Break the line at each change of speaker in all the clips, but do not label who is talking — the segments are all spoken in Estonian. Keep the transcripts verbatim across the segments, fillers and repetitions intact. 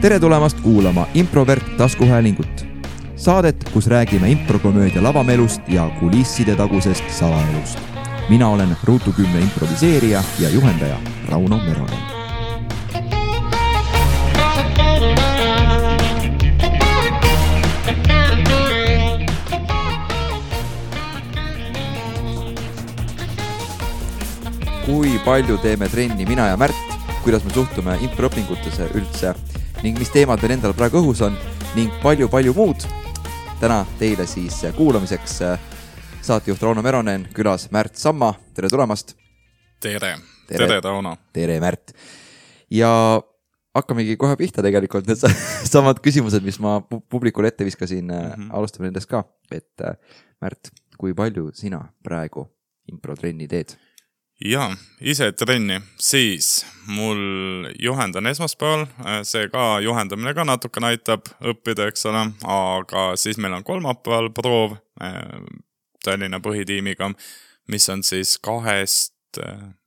tere tulemast kuulama Improvert taskuhäälingut. Saadet, kus räägime improkomöödia lavamelust ja kulisside tagusest salaelust. Mina olen Ruutu kümne improviseerija ja juhendaja Rauno Meronen. Kui palju teeme trenni mina ja Märt, kuidas me suhtume improõpingutesse üldse ning mis teemad meil endal praegu õhus on ning palju-palju muud. Täna teile siis kuulamiseks saatejuht Rauno Meronen, külas Märt Samma. Tere tulemast!
Tere! Tere, tere Rauno!
Tere Märt! Ja hakkamegi kohe pihta tegelikult need samad küsimused, mis ma publikule ette viskasin. Mm-hmm. Alustame nendest ka. Et Märt, kui palju sina praegu improtrenni teed?
Ja, ise trenni, siis mul juhendan esmaspäeval, see ka juhendamine ka natuke näitab õppida, eks ole, aga siis meil on kolmapäeval proov Tallinna põhitiimiga, mis on siis kahest,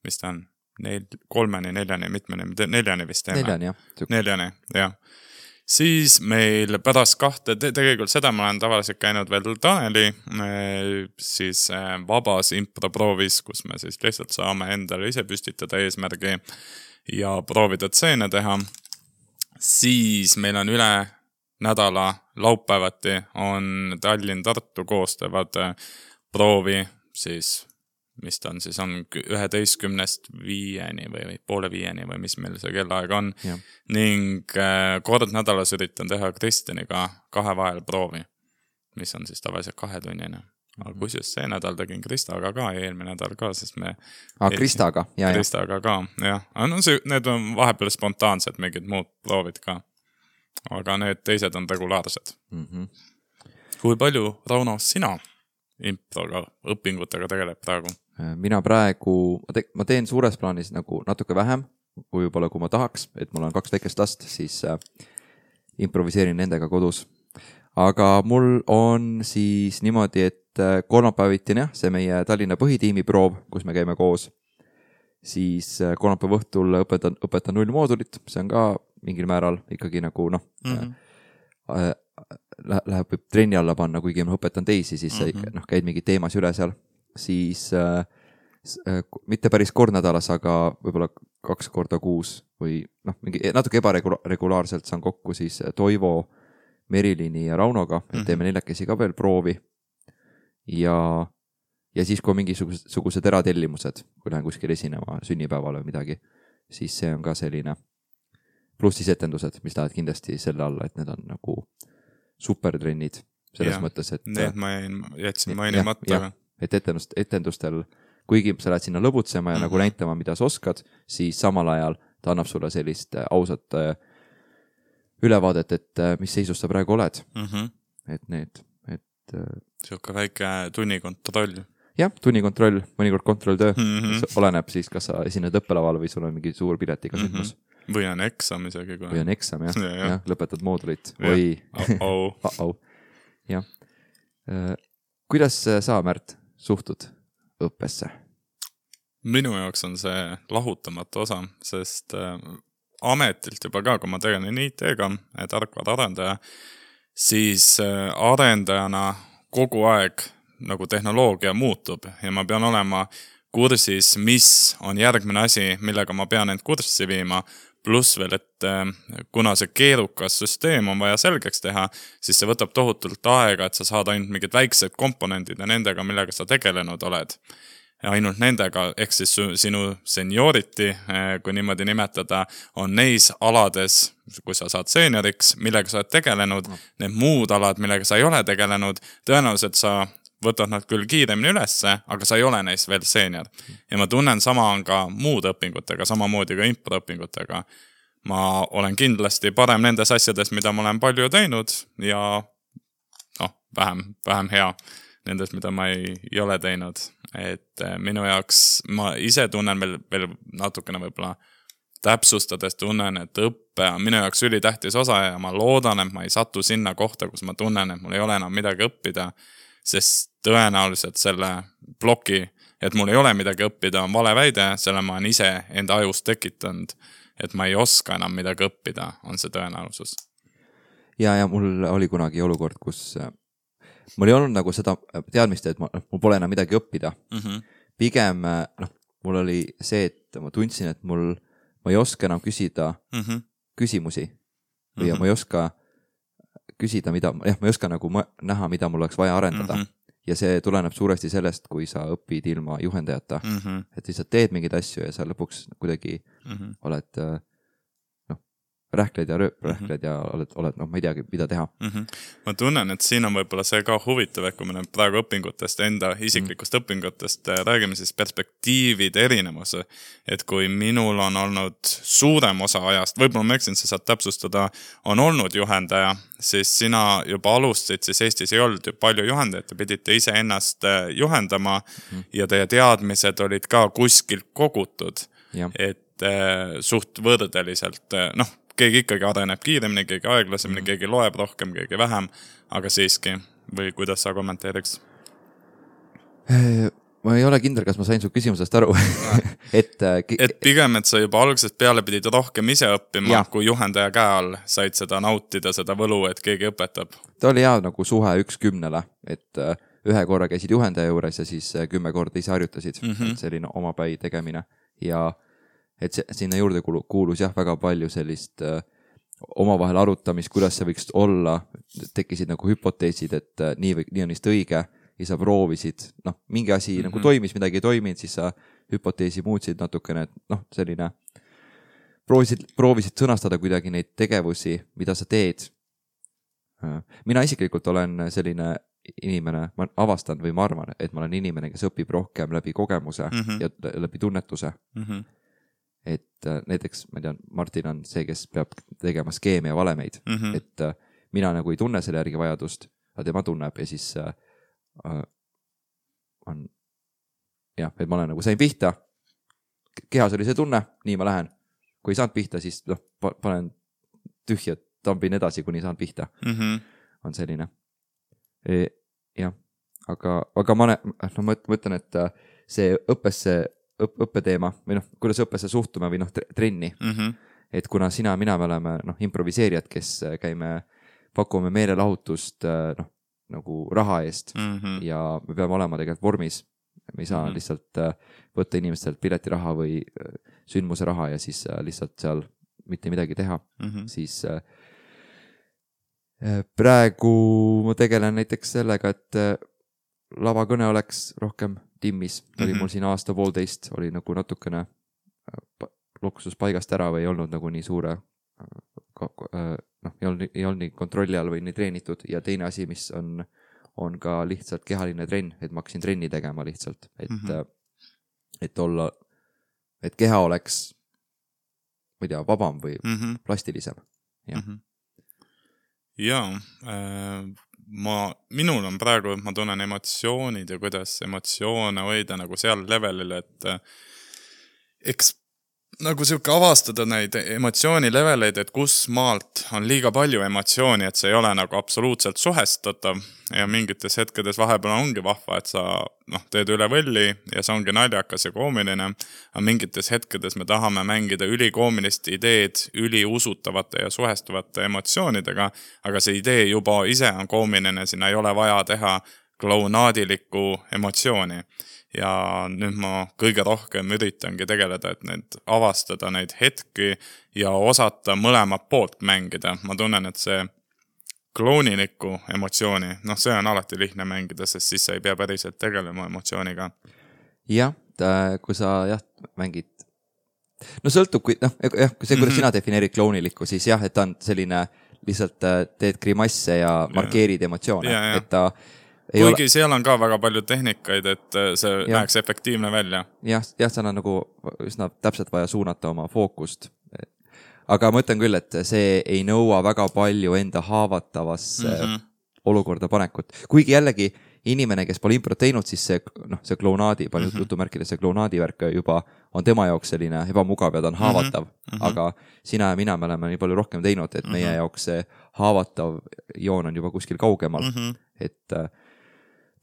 mis ta on, Nel, kolmeni, neljani, mitmeni, neljani vist teeme.
Neljani, jah.
Neljani, jah. Siis meil pärast kahte, tegelikult seda ma olen tavaliselt käinud veel Taneli siis vabas improproovis, kus me siis lihtsalt saame endale ise püstitada eesmärgi ja proovida tseene teha. Siis meil on üle nädala laupäevati on Tallinn-Tartu koostavad proovi, siis mis ta on, siis on üheteistkümnest viieni või poole viieni või mis meil see kellaaeg on. Ja. Ning kord nädalas üritan teha Kristjaniga kahe vahel proovi, mis on siis tavaliselt kahetunnine. Aga kusjuures see nädal tegin Kristaga ka ja eelmine nädal ka, sest me...
Ah, Kristaga, jah.
Kristaga ka, jah. No see, need on vahepeal spontaansed mingid muud proovid ka. Aga need teised on regulaarsed. Mm-hmm. Kui palju, Rauno, sina improga, õpingutega tegeleb praegu?
Mina praegu, ma, te, ma teen suures plaanis nagu natuke vähem, kui juba kui ma tahaks, et mul on kaks väikest last, siis äh, improviseerin nendega kodus. Aga mul on siis niimoodi, et äh, kolmapäevitin, jah, see meie Tallinna põhitiimi proov, kus me käime koos, siis äh, kolmapäeva õhtul õpetan, õpetan null moodulit, see on ka mingil määral ikkagi nagu noh, mm-hmm. äh, äh, läheb trenni alla panna, kuigi ma õpetan teisi, siis mm-hmm. noh, käid mingi teemas üle seal. Siis äh, mitte päris kord nädalas, aga võib-olla kaks korda kuus või noh, mingi natuke ebaregulaarselt saan kokku siis Toivo, Merilini ja Raunoga, et teeme neljakesi ka veel proovi. Ja, ja siis, kui on mingisugused eratellimused, kui lähen kuskil esinema sünnipäeval või midagi, siis see on ka selline pluss siis etendused, mis lähevad kindlasti selle alla, et need on nagu supertrennid selles ja, mõttes, et
need ma jätsin mainimata.
Et etendust, etendustel, kuigi sa lähed sinna lõbutsema ja mm-hmm. nagu näitama, mida sa oskad, siis samal ajal ta annab sulle sellist ausat ülevaadet, et mis seisus sa praegu oled. Mm-hmm. Et need, et...
Siuke väike tunnikontroll.
Jah, tunnikontroll, mõnikord kontrolltöö.
Mm-hmm.
Oleneb siis, kas sa esined õppelaval või sul on mingi suur piletiga sündmus.
Mm-hmm. Või on eksam isegi. Kui...
Või on eksam, jah.
Ja, ja.
Ja, lõpetad moodulit. Või...
Uh-oh.
Uh-oh. Jah. Kuidas sa, Märt, suhtud õppesse?
Minu jaoks on see lahutamatu osa, sest äh, ametilt juba ka, kui ma tegelen I T-ga, tarkvara arendaja, siis äh, arendajana kogu aeg nagu tehnoloogia muutub ja ma pean olema kursis, mis on järgmine asi, millega ma pean end kurssi viima, pluss veel, et äh, kuna see keerukas süsteem on vaja selgeks teha, siis see võtab tohutult aega, et sa saad ainult mingid väiksed komponendid ja nendega, millega sa tegelenud oled. Ja ainult nendega, ehk siis sinu seniority, äh, kui niimoodi nimetada, on neis alades, kui sa saad senioriks, millega sa oled tegelenud, no. Need muud alad, millega sa ei ole tegelenud, tõenäoliselt sa võtad nad küll kiiremini ülesse, aga sa ei ole neis veel senior. Ja ma tunnen sama on ka muud õpingutega, samamoodi ka improõpingutega. Ma olen kindlasti parem nendes asjades, mida ma olen palju teinud ja no, vähem, vähem hea nendes, mida ma ei, ei ole teinud. Et minu jaoks ma ise tunnen veel, veel natukene võib-olla täpsustades tunnen, et õppe on minu jaoks ülitähtis osa ja ma loodan, et ma ei satu sinna kohta, kus ma tunnen, et mul ei ole enam midagi õppida, sest tõenäoliselt selle ploki, et mul ei ole midagi õppida, on vale väide, selle ma olen ise enda ajust tekitanud et ma ei oska enam midagi õppida, on see tõenäosus.
ja, ja mul oli kunagi olukord, kus mul ei olnud nagu seda teadmist, et ma, mul pole enam midagi õppida. Mm-hmm. Pigem, noh, mul oli see, et ma tundsin, et mul, ma ei oska enam küsida mm-hmm. küsimusi või mm-hmm. ma ei oska küsida, mida, jah, ma ei oska nagu ma, näha, mida mul oleks vaja arendada. Mm-hmm. Ja see tuleneb suuresti sellest, kui sa õpid ilma juhendajata. Mm-hmm. Et lihtsalt teed mingeid asju ja sa lõpuks kuidagi mm-hmm. oled rähkled ja rööp, rähkled ja oled, oled noh, ma ei teagi, mida teha. Mm-hmm.
Ma tunnen, et siin on võib-olla see ka huvitav, et kui me praegu õpingutest, enda isiklikust mm-hmm. õpingutest räägime, siis perspektiivid erinevuse. Et kui minul on olnud suurem osa ajast, võib-olla ma eksin, sa saad täpsustada, on olnud juhendaja, siis sina juba alustasid, siis Eestis ei olnud ju palju juhendajaid, te pidite ise ennast juhendama mm-hmm. ja teie teadmised olid ka kuskilt kogutud, ja. Et eh, suht võrdeliselt, noh, keegi ikkagi areneb kiiremini, keegi aeglasemini, mm. keegi loeb rohkem, keegi vähem, aga siiski, või kuidas sa kommenteeriks?
Ma ei ole kindel, kas ma sain su küsimusest aru. et,
et pigem, et sa juba algusest peale pidid rohkem ise õppima, ja. Kui juhendaja käe all said seda nautida, seda võlu, et keegi õpetab.
Ta oli hea nagu suhe üks kümnele, et ühe korra käisid juhendaja juures ja siis kümme korda ise harjutasid. Mm-hmm. Selline omapäi tegemine ja et see, sinna juurde kuulus jah väga palju sellist äh, omavahel arutamist, kuidas see võiks olla, tekkisid nagu hüpoteesid, et äh, nii, või, nii on vist õige ja sa proovisid, noh, mingi asi mm-hmm. nagu toimis, midagi ei toiminud, siis sa hüpoteesi muutsid natukene, et noh, selline proovisid, proovisid sõnastada kuidagi neid tegevusi, mida sa teed. Mina isiklikult olen selline inimene, ma avastan või ma arvan, et ma olen inimene, kes õpib rohkem läbi kogemuse mm-hmm. ja läbi tunnetuse. Mm-hmm. Et näiteks, ma tean, Martin on see, kes peab tegema skeeme ja valemeid. Mm-hmm. Et mina nagu ei tunne selle järgi vajadust, aga tema tunneb ja siis äh, on jah, et ma olen nagu sain pihta, kehas oli see tunne, nii ma lähen. Kui ei saanud pihta, siis noh, panen tühja, tambin edasi, kuni saan pihta. Mm-hmm. On selline. E, jah, aga, aga ma, no, ma mõtlen, et see õppesse Õp- õppeteema või noh, kuidas õppesse suhtume või noh, trenni. Mm-hmm. Et kuna sina ja mina me oleme noh, improviseerijad, kes käime, pakume meelelahutust noh, nagu raha eest mm-hmm. ja me peame olema tegelikult vormis. Me ei saa mm-hmm. lihtsalt võtta inimestelt piletiraha või sündmuse raha ja siis lihtsalt seal mitte midagi teha. Mm-hmm. Siis praegu ma tegelen näiteks sellega, et lavakõne oleks rohkem timmis, oli mm-hmm. mul siin aasta poolteist, oli nagu natukene loksus paigast ära või ei olnud nagu nii suure, noh, ei olnud, ei olnud nii kontrolli all või nii treenitud ja teine asi, mis on, on ka lihtsalt kehaline trenn, et ma hakkasin trenni tegema lihtsalt, et, mm-hmm. et olla, et keha oleks, ma ei tea, vabam või mm-hmm. plastilisem. Jah. Mm-hmm.
Jaa, äh... ma, minul on praegu, ma tunnen emotsioonid ja kuidas emotsioone hoida nagu seal levelil, et eks nagu siuke avastada neid emotsiooni leveleid, et kus maalt on liiga palju emotsiooni, et see ei ole nagu absoluutselt suhestatav ja mingites hetkedes vahepeal ongi vahva, et sa noh, teed üle võlli ja see ongi naljakas ja koomiline, aga mingites hetkedes me tahame mängida ülikoomilist ideed üliusutavate ja suhestuvate emotsioonidega, aga see idee juba ise on koomiline, sinna ei ole vaja teha klounaadilikku emotsiooni. Ja nüüd ma kõige rohkem üritangi tegeleda, et need avastada neid hetki ja osata mõlemat poolt mängida. Ma tunnen, et see klounilikku emotsiooni, noh, see on alati lihtne mängida, sest siis sa ei pea päriselt tegelema emotsiooniga.
Jah, kui sa jah, mängid, no sõltub, kui, noh, jah, kui see, kuidas mm-hmm. sina defineerid klounilikku, siis jah, et ta on selline, lihtsalt teed grimasse ja markeerid ja. Emotsioone, ja, ja. Et ta
kuigi ole... seal on ka väga palju tehnikaid, et see ja. Näeks efektiivne välja.
Jah, jah, seal on nagu üsna täpselt vaja suunata oma fookust. Aga ma ütlen küll, et see ei nõua väga palju enda haavatavasse mm-hmm. olukorda panekut. Kuigi jällegi inimene, kes pole improt teinud, siis see, noh, see klounaadi, palju mm-hmm. jutumärkides see klounaadi värk juba on tema jaoks selline ebamugav ja ta on haavatav. Mm-hmm. Aga sina ja mina me oleme nii palju rohkem teinud, et mm-hmm. meie jaoks see haavatav joon on juba kuskil kaugemal. Mm-hmm. Et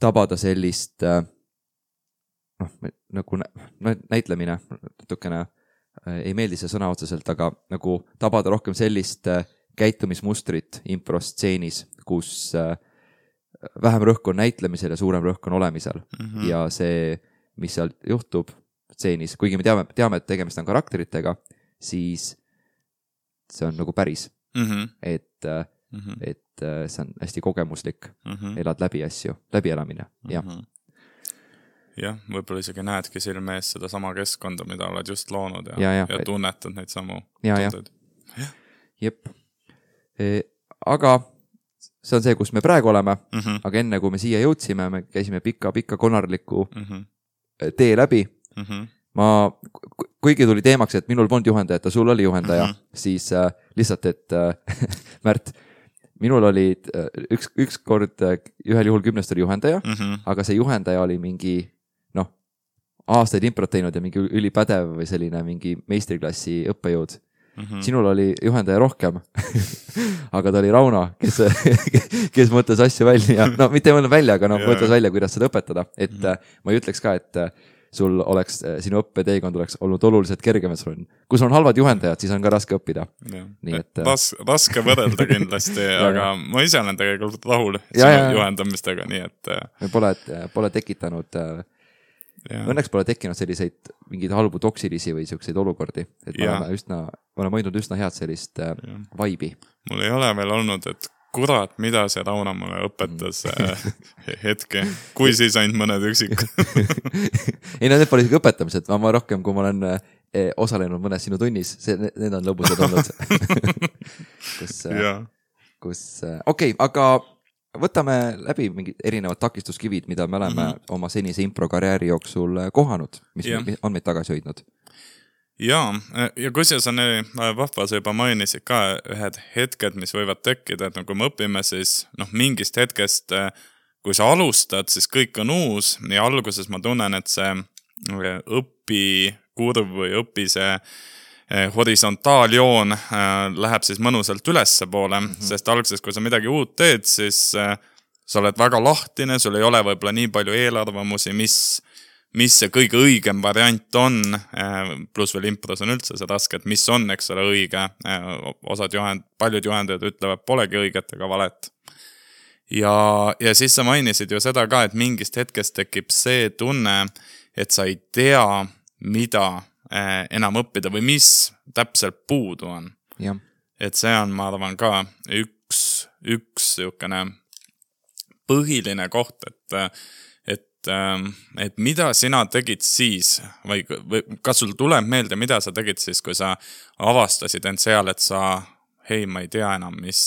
tabada sellist noh, nagu näitlemine natukene ei meeldi see sõna otseselt, aga nagu tabada rohkem sellist käitumismustrit improstseenis, kus vähem rõhk on näitlemisel ja suurem rõhk on olemisel. Mm-hmm. Ja see, mis seal juhtub stseenis, kuigi me teame, teame, et tegemist on karakteritega, siis see on nagu päris. Mm-hmm. Et, mm-hmm. et see on hästi kogemuslik. Mm-hmm. Elad läbi asju, läbielamine. Jah. Mm-hmm.
Jah, võib-olla isegi näedki silme ees seda sama keskkonda, mida oled just loonud ja,
ja, ja.
ja tunnetad neid samu
ja, tundeid. Ja. Jep. E, aga see on see, kus me praegu oleme, mm-hmm. aga enne kui me siia jõudsime, me käisime pika-pika konarliku mm-hmm. tee läbi. Mm-hmm. Ma, kuigi tuli teemaks, et minul polnud juhendaja, et sul oli juhendaja, mm-hmm. siis äh, lihtsalt, et äh, Märt, minul oli äh, üks, üks kord äh, ühel juhul kümnest oli juhendaja, mm-hmm. aga see juhendaja oli mingi aastaid improt teinud ja mingi ülipädev või selline mingi meistriklassi õppejõud. Mm-hmm. Sinul oli juhendaja rohkem, aga ta oli Rauno, kes, kes mõtles asju välja. No mitte ei mõelnud välja, aga no, yeah. mõtles välja, kuidas seda õpetada. Et mm-hmm. ma ei ütleks ka, et sul oleks, sinu õppeteekond oleks olnud oluliselt kergem. Kui sul on halvad juhendajad, siis on ka raske õppida.
Yeah. Nii, et, Ras, raske võrrelda kindlasti, aga ma ise olen tegelikult rahul sinu ja, ja. juhendamistega. Nii et...
Me pole, pole tekitanud... Ja. Õnneks pole tekkinud selliseid mingeid halbu toksilisi või selliseid olukordi, et me oleme, üsna, me oleme hoidnud üsna head sellist ja. Vaibi.
Mul ei ole veel olnud, et kurat, mida see Rauno mulle õpetas hetke, kui siis ainult mõned üksik.
ei, no need pole isegi õpetamised, ma, ma rohkem, kui ma olen eh, osalenud mõnes sinu tunnis, see, need on lõbusad olnud. kus, kus okei, okay, aga võtame läbi mingid erinevad takistuskivid, mida me oleme mm-hmm. oma senise improkarjääri jooksul kohanud, mis yeah. on meid tagasi hoidnud.
Jaa, ja kusjuures on vahva, sa juba mainisid ka ühed hetked, mis võivad tekkida, et no, kui me õpime, siis no, mingist hetkest, kui sa alustad, siis kõik on uus ja alguses ma tunnen, et see õpikurv või õpi see horisontaaljoon läheb siis mõnusalt ülesse poole, mm-hmm. sest algses, kui sa midagi uut teed, siis sa oled väga lahtine, sul ei ole võib-olla nii palju eelarvamusi, mis, mis see kõige õigem variant on, pluss veel impros on üldse see raske, et mis on, eks ole, õige. Osad juhend, paljud juhendajad ütlevad, polegi õiget ega valet. Ja, ja siis sa mainisid ju seda ka, et mingist hetkest tekib see tunne, et sa ei tea, mida enam õppida või mis täpselt puudu on.
Ja.
Et see on, ma arvan, ka üks, üks jõukene põhiline koht, et, et, et mida sina tegid siis või, või kas sul tuleb meelde, mida sa tegid siis, kui sa avastasid end seal, et sa, hei, ma ei tea enam, mis,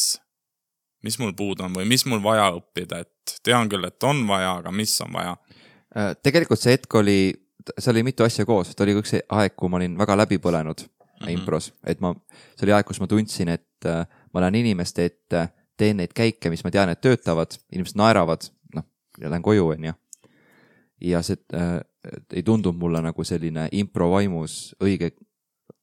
mis mul puudu on või mis mul vaja õppida, et tean küll, et on vaja, aga mis on vaja?
Tegelikult see hetk oli see oli mitu asja koos, see oli üks aeg, kui ma olin väga läbi põlenud mm-hmm. impros, et ma, see oli aeg, kus ma tundsin, et uh, ma lähen inimeste ette, teen neid käike, mis ma tean, et töötavad, inimesed naeravad, noh, ja lähen koju, on ja. Ja see uh, ei tundunud mulle nagu selline impro vaimus õige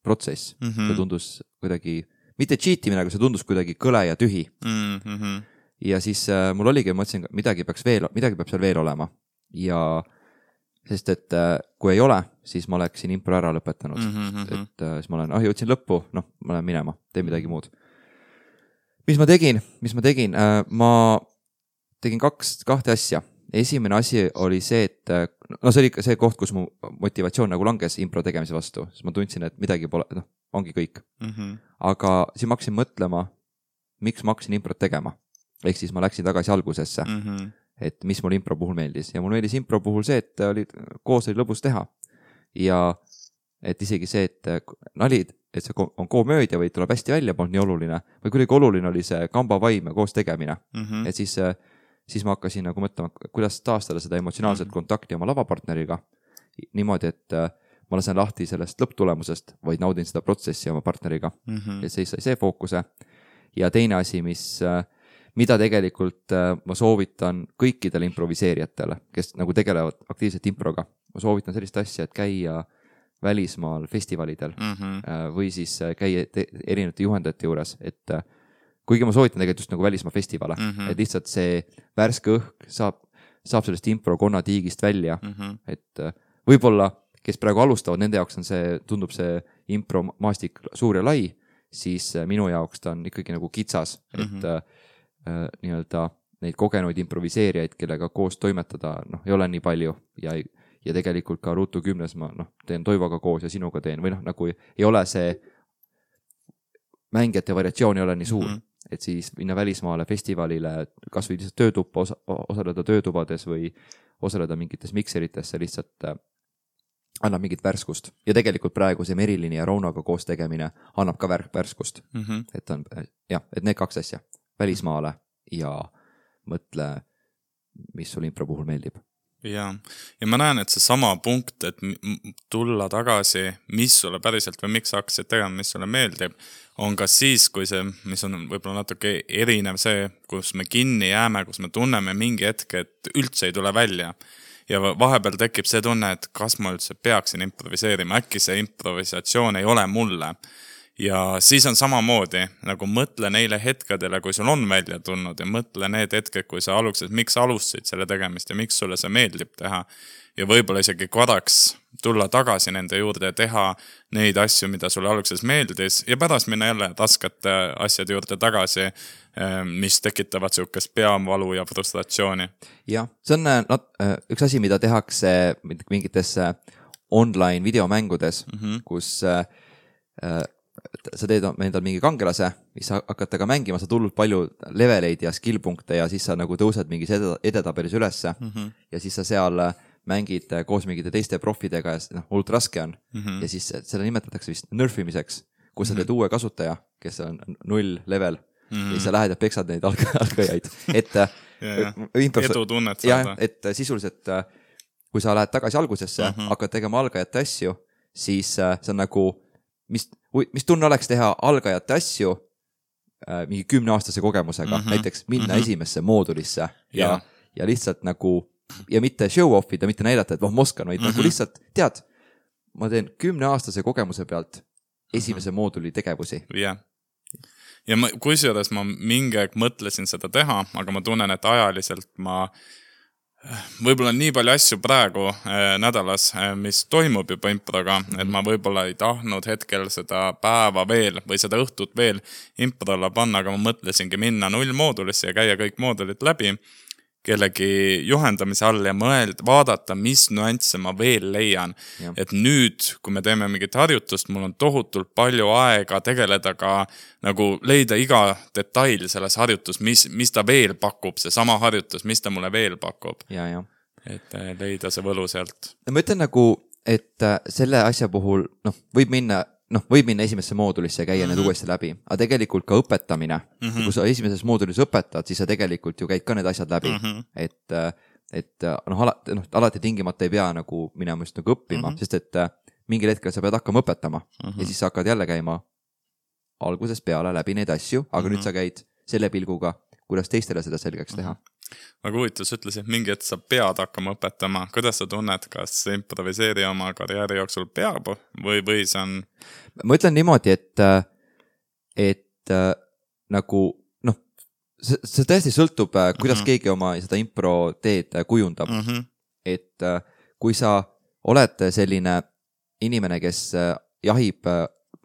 protsess. Mm-hmm. See tundus kuidagi, mitte cheatimine, aga see tundus kuidagi kõle ja tühi. Mm-hmm. Ja siis uh, mul oligi, ma mõtlesin, midagi peaks veel, midagi peab seal veel olema. Ja sest et kui ei ole, siis ma oleksin impro ära lõpetanud. Mm-hmm. Et siis ma olen, ah, jõudsin lõppu, noh, ma lähen minema, teen midagi muud. Mis ma tegin? Mis ma tegin? Ma tegin kaks, kahte asja. Esimene asi oli see, et no see oli see koht, kus mu motivatsioon nagu langes impro tegemise vastu. Siis ma tundsin, et midagi pole, noh, ongi kõik. Mm-hmm. Aga siis ma hakkasin mõtlema, miks ma hakkasin improt tegema. Ehk siis ma läksin tagasi algusesse. Mm-hmm. Et mis mul impro puhul meeldis. Ja mul meeldis impro puhul see, et oli, koos oli lõbus teha. Ja et isegi see, et nalid, et see on koomöödia või tuleb hästi välja, polnud nii oluline. Või kuidagi oluline oli see kamba vaim ja koos tegemine. Mm-hmm. Et siis, siis ma hakkasin nagu mõtlema, kuidas taastada seda emotsionaalset mm-hmm. kontakti oma lavapartneriga. Niimoodi, et ma lasen lahti sellest lõpptulemusest, vaid naudin seda protsessi oma partneriga. Mm-hmm. Et see sai see fookuse. Ja teine asi, mis... mida tegelikult ma soovitan kõikidele improviseerijatele, kes nagu tegelevad aktiivselt improga. Ma soovitan sellist asja, et käia välismaal festivalidel mm-hmm. või siis käia erinevate juhendajate juures, et kuigi ma soovitan tegelikult just nagu välismaa festivale, mm-hmm. et lihtsalt see värske õhk saab, saab sellest impro konna tiigist välja, mm-hmm. et võib-olla kes praegu alustavad, nende jaoks on see, tundub see impro maastik suur ja lai, siis minu jaoks ta on ikkagi nagu kitsas, et mm -hmm. äh, nii-öelda neid kogenuid improviseerijaid, kellega koos toimetada, noh, ei ole nii palju ja, ja tegelikult ka Ruutu kümnes ma noh, teen Toivoga koos ja sinuga teen või noh, nagu ei ole see mängijate variatsioon ei ole nii suur, mm -hmm. et siis minna välismaale festivalile, kas või lihtsalt töötuppa osa, osaleda töötubades või osaleda mingites mikserites, see lihtsalt äh, annab mingit värskust. Ja tegelikult praegu see Merilini ja Raunoga koos tegemine annab ka vär, värskust. Mm -hmm. Et on, jah, et need kaks asja, välismaale ja mõtle, mis sul impro puhul meeldib.
Ja, ja ma näen, et see sama punkt, et tulla tagasi, mis sulle päriselt või miks sa hakkasid tegema, mis sulle meeldib, on ka siis, kui see, mis on võib-olla natuke erinev see, kus me kinni jääme, kus me tunneme mingi hetk, et üldse ei tule välja. Ja vahepeal tekib see tunne, et kas ma üldse peaksin improviseerima, äkki see improvisatsioon ei ole mulle. Ja siis on samamoodi, nagu mõtle neile hetkedele, kui sul on välja tulnud ja mõtle need hetked, kui sa alustasid, miks alustasid selle tegemist ja miks sulle see meeldib teha. Ja võib-olla isegi korraks tulla tagasi nende juurde ja teha neid asju, mida sulle alguses meeldis ja pärast minna jälle raskete asjade juurde tagasi, mis tekitavad sihukest peavalu ja frustratsiooni.
Jah, see on no, üks asi, mida tehakse mingites online videomängudes, mm-hmm. kus äh, sa teed endal mingi kangelase, mis sa hakkad taga mängima, sa tulnud palju leveleid ja skill-punkte ja siis sa nagu tõused mingis edetabelis ülesse mm-hmm. ja siis sa seal mängid koos mingite teiste profidega ja noh, hullult raske on. Mm-hmm. Ja siis selle nimetatakse vist nerfimiseks, kus mm-hmm. sa teed uue kasutaja, kes on null level mm-hmm. ja siis sa lähed ja peksad neid algajaid. Et
ja, ja. Impros... edu tunnet
saada. Et sisuliselt, kui sa lähed tagasi algusesse, mm-hmm. hakkad tegema algajate asju, siis see on nagu, mis, mis tunne oleks teha algajate asju mingi kümneaastase kogemusega, mm-hmm. näiteks minna mm-hmm. esimesse moodulisse ja, ja. ja lihtsalt nagu ja mitte show-off ida, mitte näidata, et noh, ma oskan, vaid mm-hmm. nagu lihtsalt, tead, ma teen kümneaastase kogemuse pealt esimese mm-hmm. mooduli tegevusi.
jah. Ja ma, kusjuures ma mingi aeg mõtlesin seda teha, aga ma tunnen, et ajaliselt ma võib-olla on nii palju asju praegu äh, nädalas, äh, mis toimub juba improga, mm-hmm. et ma võib-olla ei tahtnud hetkel seda päeva veel või seda õhtut veel improlla panna, aga ma mõtlesingi minna nullmoodulisse ja käia kõik moodulid läbi kellegi juhendamise all ja mõeld, vaadata, mis nüansse ma veel leian. Ja. Et nüüd, kui me teeme mingit harjutust, mul on tohutult palju aega tegeleda ka nagu leida iga detail selles harjutus, mis, mis ta veel pakub, see sama harjutus, mis ta mulle veel pakub.
Ja, ja.
Et leida see võlu sealt.
Ma ütlen nagu, et selle asja puhul noh, võib minna noh, võib minna esimesse moodulisse ja käia mm-hmm. need uuesti läbi, aga tegelikult ka õpetamine, mm-hmm. kui sa esimeses moodulis õpetad, siis sa tegelikult ju käid ka need asjad läbi, mm-hmm. et, et noh, alati, noh, alati tingimata ei pea nagu minema just nagu õppima, mm-hmm. sest et mingil hetkel sa pead hakkama õpetama mm-hmm. ja siis sa hakkad jälle käima algusest peale läbi neid asju, aga mm-hmm. nüüd sa käid selle pilguga, kuidas teistele seda selgeks teha. Mm-hmm.
Aga huvitav, sa ütlesid, mingi et sa pead hakkama õpetama. Kuidas sa tunned, kas improviseeri oma karjääri jooksul peab või, või see on...
Ma ütlen niimoodi, et, et nagu, noh, see, see tõesti sõltub, kuidas mm-hmm. keegi oma seda impro teed kujundab. Mm-hmm. Et kui sa oled selline inimene, kes jahib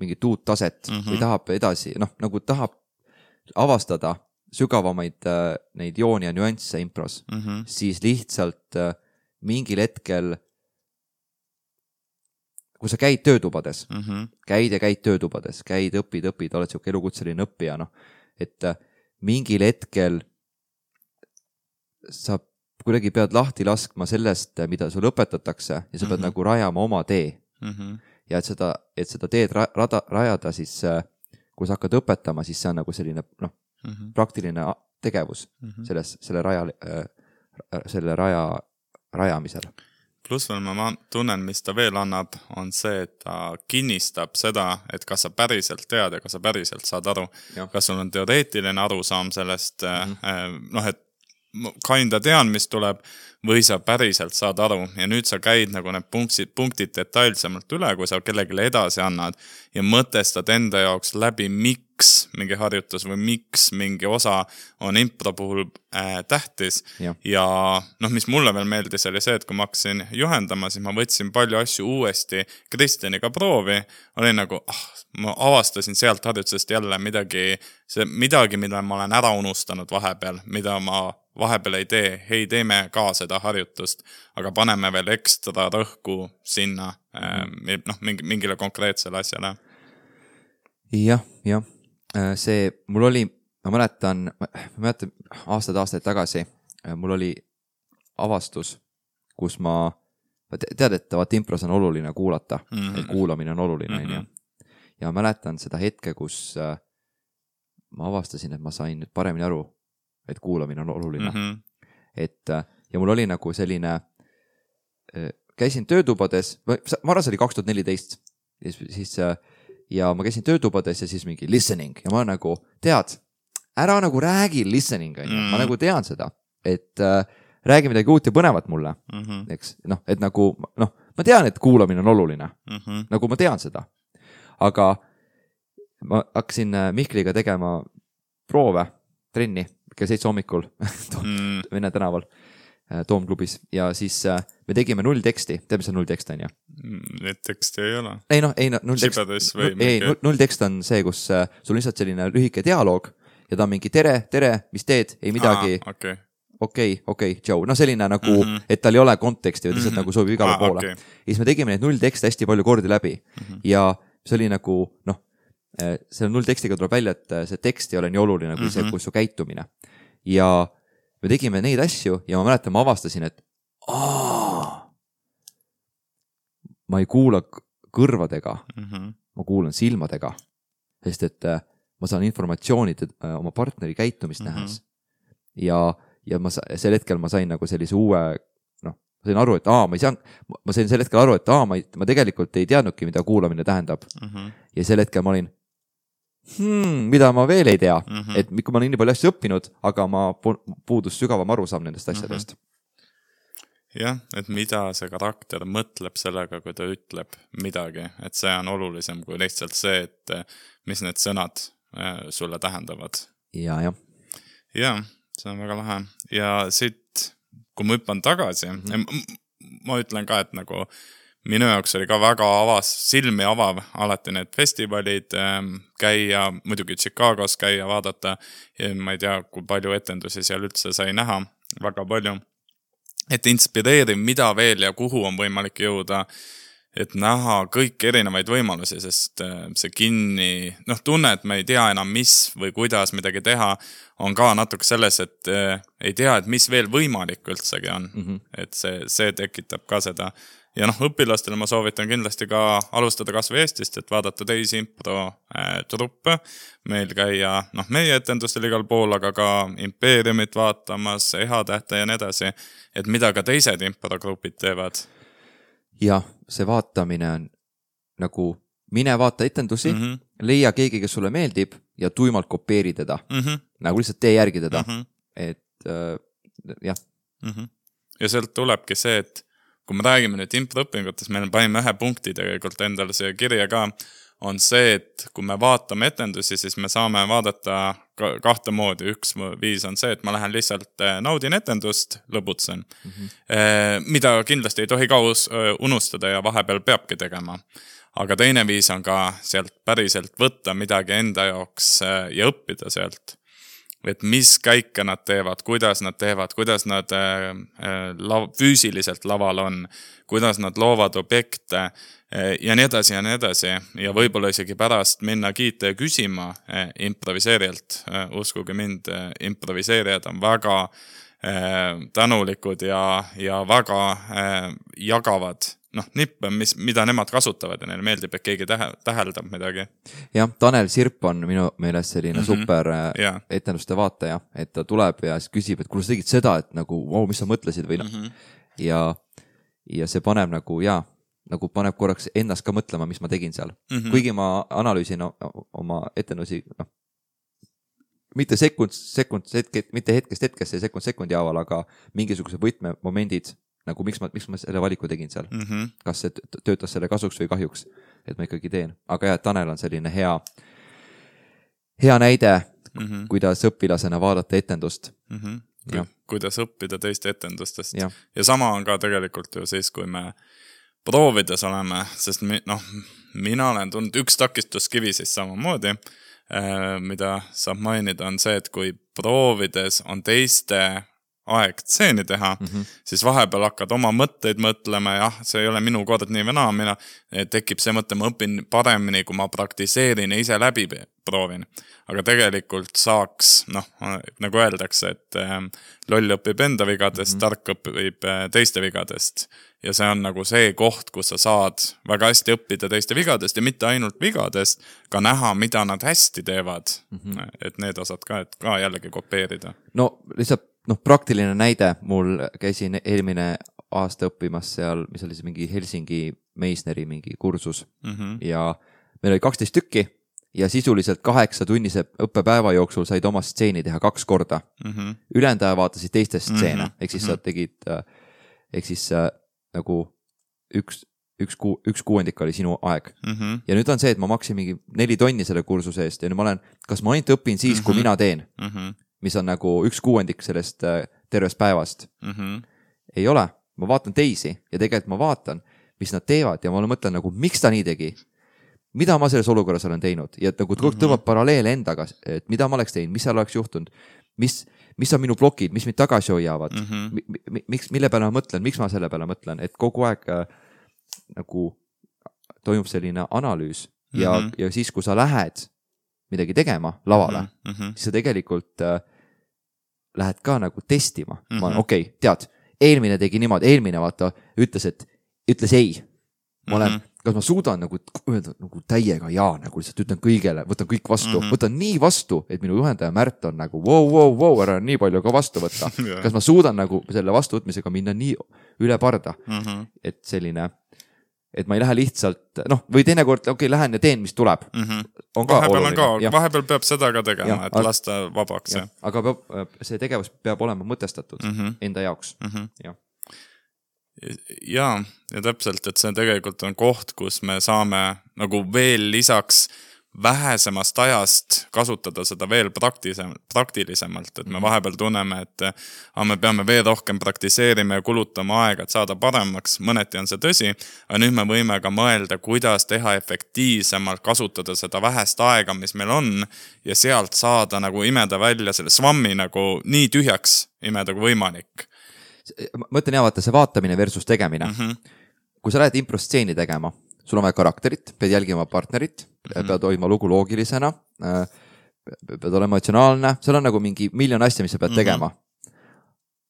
mingit uut taset mm-hmm. või tahab edasi, noh, nagu tahab avastada sügavamaid äh, neid jooni ja nüansse impros, mm-hmm. siis lihtsalt äh, mingil hetkel, kui sa käid töötubades, mm-hmm. käid ja käid töötubades, käid, õpid, õpid, oled siuke elukutseline õppija, noh, et äh, mingil hetkel sa kuidagi pead lahti laskma sellest, mida sul õpetatakse ja sa pead mm-hmm. nagu rajama oma tee. Mm-hmm. Ja et seda, et seda teed ra- rada, rajada, siis äh, kui sa hakkad õpetama, siis see on nagu selline, noh, Mm-hmm. praktiline tegevus mm-hmm. selles, selle raja, äh, selle raja rajamisel.
Pluss veel ma tunnen, mis ta veel annab, on see, et ta kinnistab seda, et kas sa päriselt tead ja kas sa päriselt saad aru. Ja. Kas sul on teoreetiline arusaam sellest, mm-hmm. äh, noh, et kinda tean, mis tuleb, või sa päriselt saad aru ja nüüd sa käid nagu need punktid, punktid detailsemalt üle, kui sa kellegile edasi annad ja mõtestad enda jaoks läbi, miks mingi harjutus või miks mingi osa on impro puhul äh, tähtis ja, ja noh, mis mulle veel meeldis oli see, et kui ma hakkasin juhendama, siis ma võtsin palju asju uuesti Kristjaniga proovi, oli nagu, ah, ma avastasin sealt harjutusest jälle midagi, see, midagi, mida ma olen ära unustanud vahepeal, mida ma vahepeal ei tee, hei, teeme ka seda harjutust, aga paneme veel ekstra rõhku sinna mm. noh, mingi, mingile konkreetsele asjale.
Jah, jah. See, mul oli, ma mäletan, ma mäletan aastad-aastaid tagasi, mul oli avastus, kus ma, tead, et vaat impros on oluline kuulata, mm-hmm. et kuulamine on oluline, mm-hmm. ja ma mäletan seda hetke, kus ma avastasin, et ma sain nüüd paremini aru, et kuulamine on oluline. Mm-hmm. Et, ja mul oli nagu selline, käisin töötubades, ma arvan, see oli kaks tuhat neliteist, siis, ja ma käisin töötubades ja siis mingi listening ja ma nagu, tead, ära nagu räägi listening, mm-hmm. ma nagu tean seda, et äh, räägi midagi uut ja põnevat mulle, mm-hmm. eks, noh, et nagu, noh, ma tean, et kuulamine on oluline, mm-hmm. nagu ma tean seda, aga ma hakkasin Mihkliga tegema proove, trenni, kell seitse hommikul mm. Vene tänaval Toomklubis ja siis me tegime null teksti, tead, mis on null tekst on, ja?
Need teksti ei ole.
Ei, no, ei, no, null tekst,
või
ei, null, null tekst on see, kus sul on lihtsalt selline lühike dialoog ja ta on mingi tere, tere, mis teed, ei midagi, okei, okei, okei, tšau, no selline nagu, mm-hmm. et tal ei ole konteksti, või lihtsalt mm-hmm. nagu sobib igale ah, poole. Okay. Ja siis me tegime neid null tekste hästi palju kordi läbi mm-hmm. ja see oli nagu, noh, selle null tekstiga tuleb välja, et see tekst ei ole nii oluline kui mm-hmm. see, kui su käitumine. Ja me tegime neid asju ja ma mäletan, ma avastasin, et aah, ma ei kuula kõrvadega, mm-hmm. ma kuulan silmadega, sest et ma saan informatsiooni oma partneri käitumist mm-hmm. nähes. Ja, ja ma, sel hetkel ma sain nagu sellise uue, noh, ma sain aru, et aa, ma ei saa, ma sain sel hetkel aru, et aa, ma, ei, ma tegelikult ei teadnudki, mida kuulamine tähendab. Mm-hmm. Ja sel hetkel ma olin, Hmm, mida ma veel ei tea, mm-hmm. et kui ma olen nii palju asju õppinud, aga ma puudus sügavam arusaam nendest asjadest.
Mm-hmm. Jah, et mida see karakter mõtleb sellega, kui ta ütleb midagi, et see on olulisem kui lihtsalt see, et mis need sõnad sulle tähendavad.
Ja, jah.
Ja, see on väga lahe. Ja siit, kui ma hüppan tagasi, mm-hmm. ma ütlen ka, et nagu minu jaoks oli ka väga avas, silmi avav alati need festivalid käia, muidugi Chicagos käia, vaadata. Ja ma ei tea, kui palju etendusi seal üldse sai näha, väga palju. Et inspireeriv, mida veel ja kuhu on võimalik jõuda, et näha kõik erinevaid võimalusi, sest see kinni, noh, tunne, et me ei tea enam, mis või kuidas midagi teha, on ka natuke selles, et ei tea, et mis veel võimalik üldsegi on. Mm-hmm. Et see, see tekitab ka seda. Ja noh, õpilastele ma soovitan kindlasti ka alustada kas või Eestist, et vaadata teisi impro äh, truppe. Meil käia, noh, meie etendustel igal pool, aga ka Impeeriumit vaatamas, Ehatähte ja nii edasi, et mida ka teised impro-grupid teevad.
Ja see vaatamine on nagu mine vaata etendusi, mm-hmm. leia keegi, kes sulle meeldib ja tuimalt kopeeri teda. Mm-hmm. Nagu lihtsalt tee järgi teda. Mm-hmm. Et äh, jah.
Mm-hmm. Ja sealt tulebki see, et kui me räägime nüüd impro-õpingutes, meil panime ühe punkti tegelikult endale siia kirja ka, on see, et kui me vaatame etendusi, siis me saame vaadata kahte moodi. Üks viis on see, et ma lähen lihtsalt naudin etendust, lõbutsen, mm-hmm. mida kindlasti ei tohi ka unustada ja vahepeal peabki tegema. Aga teine viis on ka sealt päriselt võtta midagi enda jaoks ja õppida sealt. Et mis käike nad teevad, kuidas nad teevad, kuidas nad äh, la- füüsiliselt laval on, kuidas nad loovad objekte äh, ja nii edasi ja nii edasi. Ja võib-olla isegi pärast minna kiita ja küsima äh, improviseerijalt. Äh, uskuge mind, äh, improviseerijad on väga äh, tänulikud ja, ja väga äh, jagavad noh, nippe, mis, mida nemad kasutavad ja neile meeldib, et keegi tähe, täheldab midagi.
Jah, Tanel Sirp on minu meelest selline mm-hmm. super yeah. etenduste vaataja, et ta tuleb ja küsib, et kuule sa tegid seda, et nagu, wow, mis sa mõtlesid või noh. Mm-hmm. Ja, ja see paneb nagu, jaa, nagu paneb korraks ennast ka mõtlema, mis ma tegin seal. Mm-hmm. Kuigi ma analüüsin oma etendusi, noh, mitte sekund, sekund, hetke, mitte hetkest hetkesse ja sekund sekundi haaval, aga mingisuguse võtmemomendid, nagu miks ma, miks ma selle valiku tegin seal.
Mm -hmm.
Kas see töötas selle kasuks või kahjuks, et ma ikkagi teen. Aga jah, Tanel on selline hea, hea näide, mm -hmm. kuidas õpilasena vaadata etendust.
Mm -hmm. Ja. Kuidas õppida teiste etendustest.
Ja.
ja sama on ka tegelikult ju siis, kui me proovides oleme, sest mi, noh, mina olen tundnud üks takistuskivi siis samamoodi, äh, mida saab mainida, on see, et kui proovides on teiste aeg tseeni teha, mm -hmm. siis vahepeal hakkad oma mõtteid mõtlema, jah, see ei ole minu kord nii või naa, mina tekib see mõte, ma õpin paremini, kui ma praktiseerin ja ise läbi proovin. Aga tegelikult saaks, noh, nagu öeldakse, et äh, loll õpib enda vigadest, mm -hmm. tark õpib äh, teiste vigadest. Ja see on nagu see koht, kus sa saad väga hästi õppida teiste vigadest ja mitte ainult vigadest, ka näha, mida nad hästi teevad. Mm -hmm. Et need osad ka, et ka jällegi kopeerida.
No lihtsalt noh, praktiline näide, mul käisin eelmine aasta õppimas seal, mis oli see mingi Helsingi Meisneri mingi kursus mm -hmm. ja meil oli kaksteist tükki ja sisuliselt kaheksa tunnise õppepäeva jooksul said oma stseeni teha kaks korda. Mm -hmm. Ülejäänud vaatasid teiste stseene, mm -hmm. ehk siis sa tegid, ehk siis äh, nagu üks, üks, kuu, üks kuuendik oli sinu aeg. Mm -hmm. Ja nüüd on see, et ma maksin mingi neli tonni selle kursuse eest ja nüüd ma olen, kas ma ainult õpin siis, mm -hmm. kui mina teen? Mm -hmm. mis on nagu üks kuuendik sellest tervest päevast. Mm -hmm. Ei ole, ma vaatan teisi ja tegelikult ma vaatan, mis nad teevad ja ma mõtlen nagu, miks ta nii tegi, mida ma selles olukorras olen teinud ja nagu mm -hmm. tõmbab paralleele endaga, et mida ma oleks teinud, mis seal oleks juhtunud, mis, mis on minu blokid, mis mind tagasi hoiavad, mm -hmm. miks, mille peale ma mõtlen, miks ma selle peale mõtlen, et kogu aeg äh, nagu toimub selline analüüs mm -hmm. ja, ja siis, kui sa lähed midagi tegema lavale, mm -hmm. siis sa tegelikult äh, lähed ka nagu testima. Mm -hmm. Ma olen, okei, okay, tead, eelmine tegi niimoodi, eelmine vaata, ütles, et ütles ei. Ma olen, mm -hmm. kas ma suudan nagu öelda nagu täiega jaa, nagu lihtsalt ütlen kõigele, võtan kõik vastu, mm -hmm. võtan nii vastu, et minu juhendaja Märt on nagu wow, wow, wow, ära nii palju ka vastu võtta. yeah. Kas ma suudan nagu selle vastuvõtmisega minna nii üle parda, mm -hmm. et selline, et ma ei lähe lihtsalt, noh, või teinekord, okei, okay, lähen ja teen, mis tuleb. Mm -hmm. On ka
vahepeal
oluline.
On ka, vahepeal peab seda ka tegema, ja, et aga, lasta vabaks. Ja.
Aga peab, see tegevus peab olema mõtestatud mm -hmm. enda jaoks. Mm -hmm. ja.
ja, ja täpselt, et see tegelikult on koht, kus me saame nagu veel lisaks vähesemast ajast kasutada seda veel praktilisemalt, et me vahepeal tunneme, et a, me peame veel rohkem praktiseerima ja kulutama aega, et saada paremaks, mõneti on see tõsi, aga nüüd me võime ka mõelda, kuidas teha efektiivsemalt, kasutada seda vähest aega, mis meil on ja sealt saada nagu imeda välja selle svammi nagu nii tühjaks imeda kui võimalik.
Ma mõtlen ja vaata see vaatamine versus tegemine. Mm -hmm. Kui sa lähed improstseeni tegema, sul on vaja karakterit, pead jälgima partnerit, mm-hmm. pead hoidma lugu loogilisena, pead olema emotsionaalne, seal on nagu mingi miljon asja, mis sa pead mm-hmm. tegema.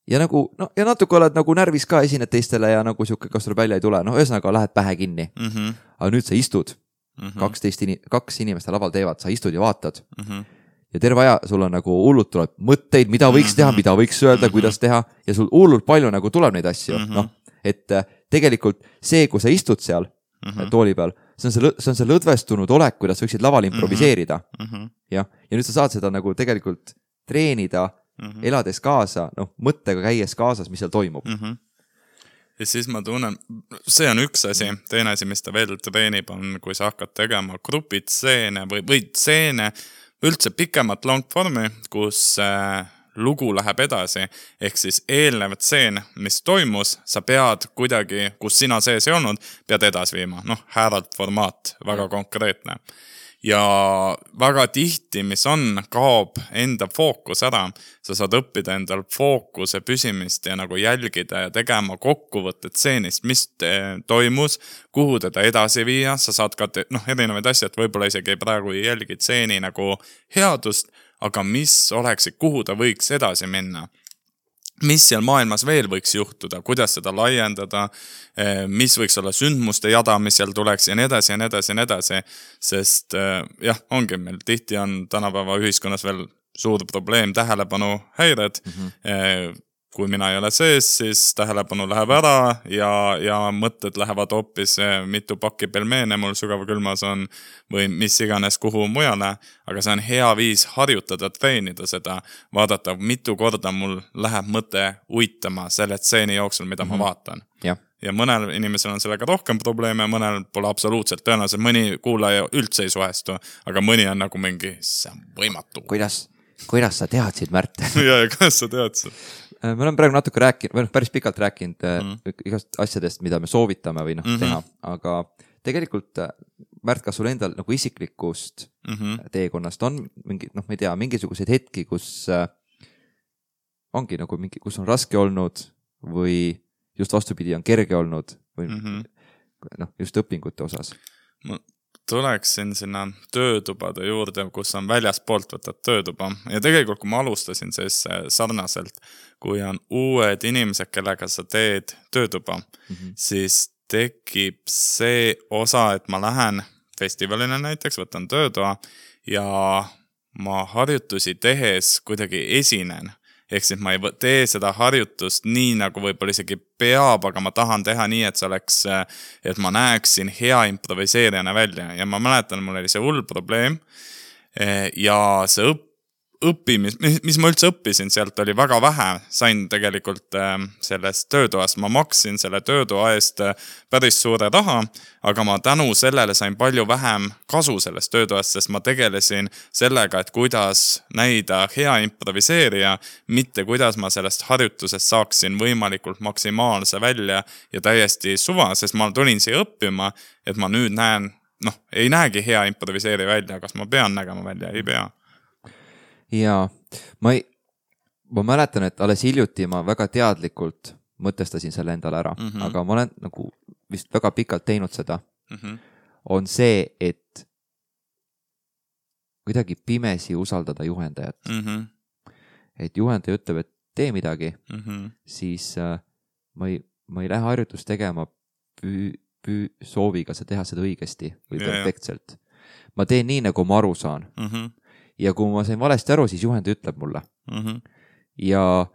Ja nagu, no ja natuke oled nagu närvis ka, esined teistele ja nagu siuke, kas tuleb välja ei tule, no ühesõnaga lähed pähe kinni. Mm-hmm. Aga nüüd sa istud, mm-hmm. kaksteist in- kaks inimeste laval teevad, sa istud ja vaatad. Mm-hmm. Ja terve aja sul on nagu hullult tuleb mõtteid, mida võiks teha, mida võiks öelda, mm-hmm. kuidas teha ja sul hullult palju nagu tuleb neid asju. Mm-hmm. No, et tegelikult see, kui sa istud seal mm-hmm. tooli peal, see on see, see on see lõdvestunud olek, kuidas võiksid laval improviseerida. Mm-hmm. Ja, ja nüüd sa saad seda nagu tegelikult treenida, mm-hmm. elades kaasa, noh, mõttega käies kaasas, mis seal toimub. Mm-hmm.
Ja siis ma tunnen, see on üks asi, teine asi, mis ta veel treenib, on, kui sa hakkad tegema grupitseene või, või tseene, üldse pikemat long formi, kus äh, lugu läheb edasi, ehk siis eelnev tseen, mis toimus, sa pead kuidagi, kus sina sees ei olnud, pead edasi viima. Noh, Härald formaat, väga ja. Konkreetne. Ja väga tihti, mis on, kaob enda fookus ära. Sa saad õppida endal fookuse püsimist ja nagu jälgida ja tegema kokkuvõtted tseenist, mis te, toimus, kuhu teda edasi viia. Sa saad ka te, noh, erinevaid asju, et võib-olla isegi praegu ei jälgi tseeni nagu headust, aga mis oleksid, kuhu ta võiks edasi minna. Mis seal maailmas veel võiks juhtuda, kuidas seda laiendada, mis võiks olla sündmuste jada, mis seal tuleks ja nii edasi ja nii edasi ja nii edasi. Sest jah, ongi meil tihti on tänapäeva ühiskonnas veel suur probleem tähelepanu häired. Mm-hmm. kui mina ei ole sees, siis tähelepanu läheb ära ja, ja mõtted lähevad hoopis mitu pakki pelmeene mul sügavkülmas on või mis iganes kuhu mujale, aga see on hea viis harjutada, treenida seda, vaadata, mitu korda mul läheb mõte uitama selle tseeni jooksul, mida mm-hmm. ma vaatan.
Ja.
ja mõnel inimesel on sellega rohkem probleeme, mõnel pole absoluutselt tõenäoliselt, mõni kuulaja üldse ei suhestu, aga mõni on nagu mingi, see on võimatu.
Kuidas, kuidas sa teadsid, Märt?
ja, ja kuidas sa teadsid?
Me oleme praegu natuke rääkinud, või päris pikalt rääkinud mm. igast asjadest, mida me soovitame või noh mm-hmm. teha, aga tegelikult Märt, kas sul endal nagu isiklikust mm-hmm. teekonnast on mingi, noh, ma ei tea, mingisuguseid hetki, kus äh, ongi nagu mingi, kus on raske olnud või just vastupidi on kerge olnud või mm-hmm. noh, just õpingute osas?
Ma tuleksin sinna töötubade juurde, kus on väljaspoolt võtad töötuba ja tegelikult kui ma alustasin siis sarnaselt, kui on uued inimesed, kellega sa teed töötuba, mm-hmm. siis tekib see osa, et ma lähen festivalina näiteks, võtan töötoa ja ma harjutusi tehes kuidagi esinen. Ehk siis ma ei tee seda harjutust nii, nagu võib-olla isegi peab, aga ma tahan teha nii, et see oleks, et ma näeksin hea improviseerijana välja. Ja ma mäletan, mul oli see hull probleem ja see õpp, õppimis, mis ma üldse õppisin sealt oli väga vähe. Sain tegelikult sellest töötoast, ma maksin selle töötoa eest päris suure raha, aga ma tänu sellele sain palju vähem kasu sellest töötoast, sest ma tegelesin sellega, et kuidas näida hea improviseerija, mitte kuidas ma sellest harjutusest saaksin võimalikult maksimaalse välja ja täiesti suva, sest ma tulin siia õppima, et ma nüüd näen, noh, ei näegi hea improviseerija välja, kas ma pean nägema välja, ei pea.
Ja ma, ei, ma mäletan, et alles hiljuti ma väga teadlikult mõtestasin selle endale ära, mm-hmm. aga ma olen nagu vist väga pikalt teinud seda, mm-hmm. on see, et kuidagi pimesi usaldada juhendajat. Mm-hmm. Et juhendaja ütleb, et tee midagi, mm-hmm. siis äh, ma, ei, ma ei lähe harjutust tegema püü, püü sooviga sa teha seda õigesti või ja, perfektselt. Ja. Ma teen nii, nagu ma aru saan. Mm-hmm. Ja kui ma sain valesti aru, siis juhendaja ütleb mulle. Mm-hmm. Ja,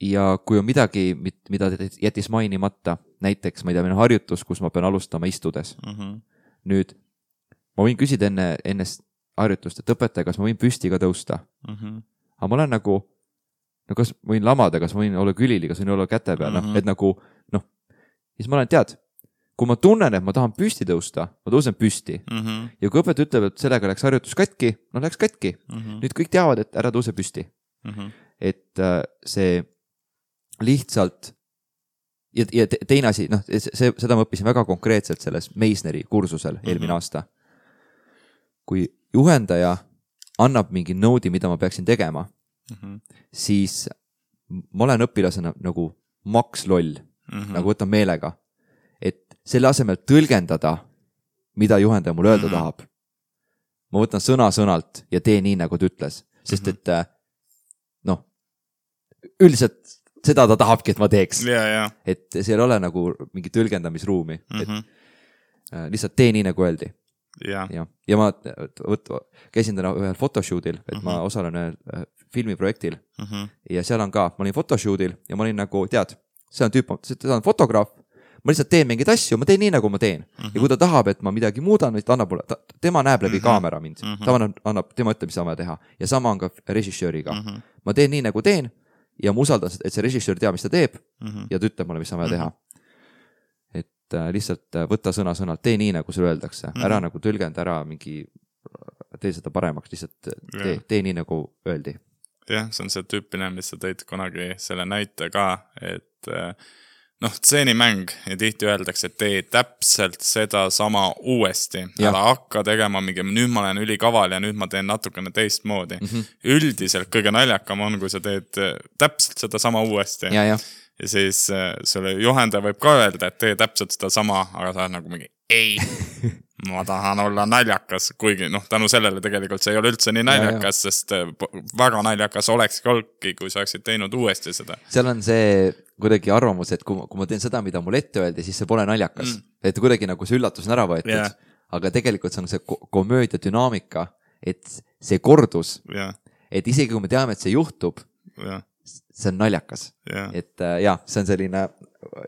ja kui on midagi, mida jättis mainimata, näiteks ma ei tea, meil on harjutus, kus ma pean alustama istudes. Mm-hmm. Nüüd, ma võin küsida enne, enne harjutust, et õpetaja, kas ma võin püsti ka tõusta. Mm-hmm. Aga ma olen nagu, no kas ma võin lamada, kas ma võin olla külili, kas ma võin olla käte peal, mm-hmm. no, et nagu, noh, siis ma olen tead, kui ma tunnen, et ma tahan püsti tõusta, ma tõusen püsti. Mm-hmm. Ja kui õpetaja ütleb, et sellega läks harjutus katki, no läks katki. Mm-hmm. Nüüd kõik teavad, et ära tõuse püsti. Mm-hmm. Et äh, see lihtsalt ja, ja teine asi, noh, see, seda ma õppisin väga konkreetselt selles Meisneri kursusel mm-hmm. eelmine aasta. Kui juhendaja annab mingi noodi, mida ma peaksin tegema, mm-hmm. siis ma olen õpilasena nagu maks loll, mm-hmm. nagu võtan meelega. Et selle asemel tõlgendada, mida juhendaja mul öelda mm-hmm. tahab. Ma võtan sõna sõnalt ja teen nii, nagu ta ütles. Sest et, noh, üldiselt seda ta tahabki, et ma teeks.
Yeah, yeah.
Et seal ei ole nagu mingi tõlgendamisruumi. Mm-hmm. Et äh, lihtsalt tee nii, nagu öeldi.
Yeah.
Ja, ja ma võt, käisin täna ühel photoshoodil, et mm-hmm. ma osalen ühel filmiprojektil. Mm-hmm. Ja seal on ka, ma olin photoshoodil ja ma olin nagu, tead, see on tüüp, see on fotograaf. Ma lihtsalt teen mingeid asju, ma teen nii, nagu ma teen. Mm-hmm. Ja kui ta tahab, et ma midagi muudan, ta annab mulle, ta, tema näeb läbi mm-hmm. kaamera mind. Mm-hmm. Ta annab, annab, tema ütleb, mis saame teha. Ja sama on ka režissööriga. Mm-hmm. Ma teen nii, nagu teen ja ma usaldan, et see režissöör teab, mis ta teeb mm-hmm. ja ta ütleb mulle, mis saame mm-hmm. teha. Et äh, lihtsalt võtta sõna sõnalt, tee nii, nagu sulle öeldakse. Mm-hmm. Ära nagu tõlgenda ära mingi, tee seda paremaks, lihtsalt tee, yeah. tee nii, nagu öeldi.
Jah, see on see tüüpine, mis sa tõid kunagi selle näite ka, et äh, noh, tseenimäng ja tihti öeldakse, et tee täpselt seda sama uuesti. Ära hakka tegema mingi, nüüd ma olen ülikaval ja nüüd ma teen natukene teistmoodi. Mm-hmm. Üldiselt kõige naljakam on, kui sa teed täpselt seda sama uuesti.
Ja, ja.
ja siis sulle juhendaja võib ka öelda, et tee täpselt seda sama, aga sa oled nagu mingi ei, ma tahan olla naljakas, kuigi noh, tänu sellele tegelikult see ei ole üldse nii naljakas, ja, ja. Sest väga naljakas oleks kolki, kui sa oleksid teinud uuesti seda.
Seal on see kuidagi arvamus, et kui, kui ma teen seda, mida mul ette öeldi, siis see pole naljakas. Mm. Et kuidagi nagu see üllatus on ära võetud, yeah. aga tegelikult see on see komöödia dünaamika, et see kordus, yeah. et isegi kui me teame, et see juhtub, yeah. see on naljakas
yeah.,
et äh, jah, see on selline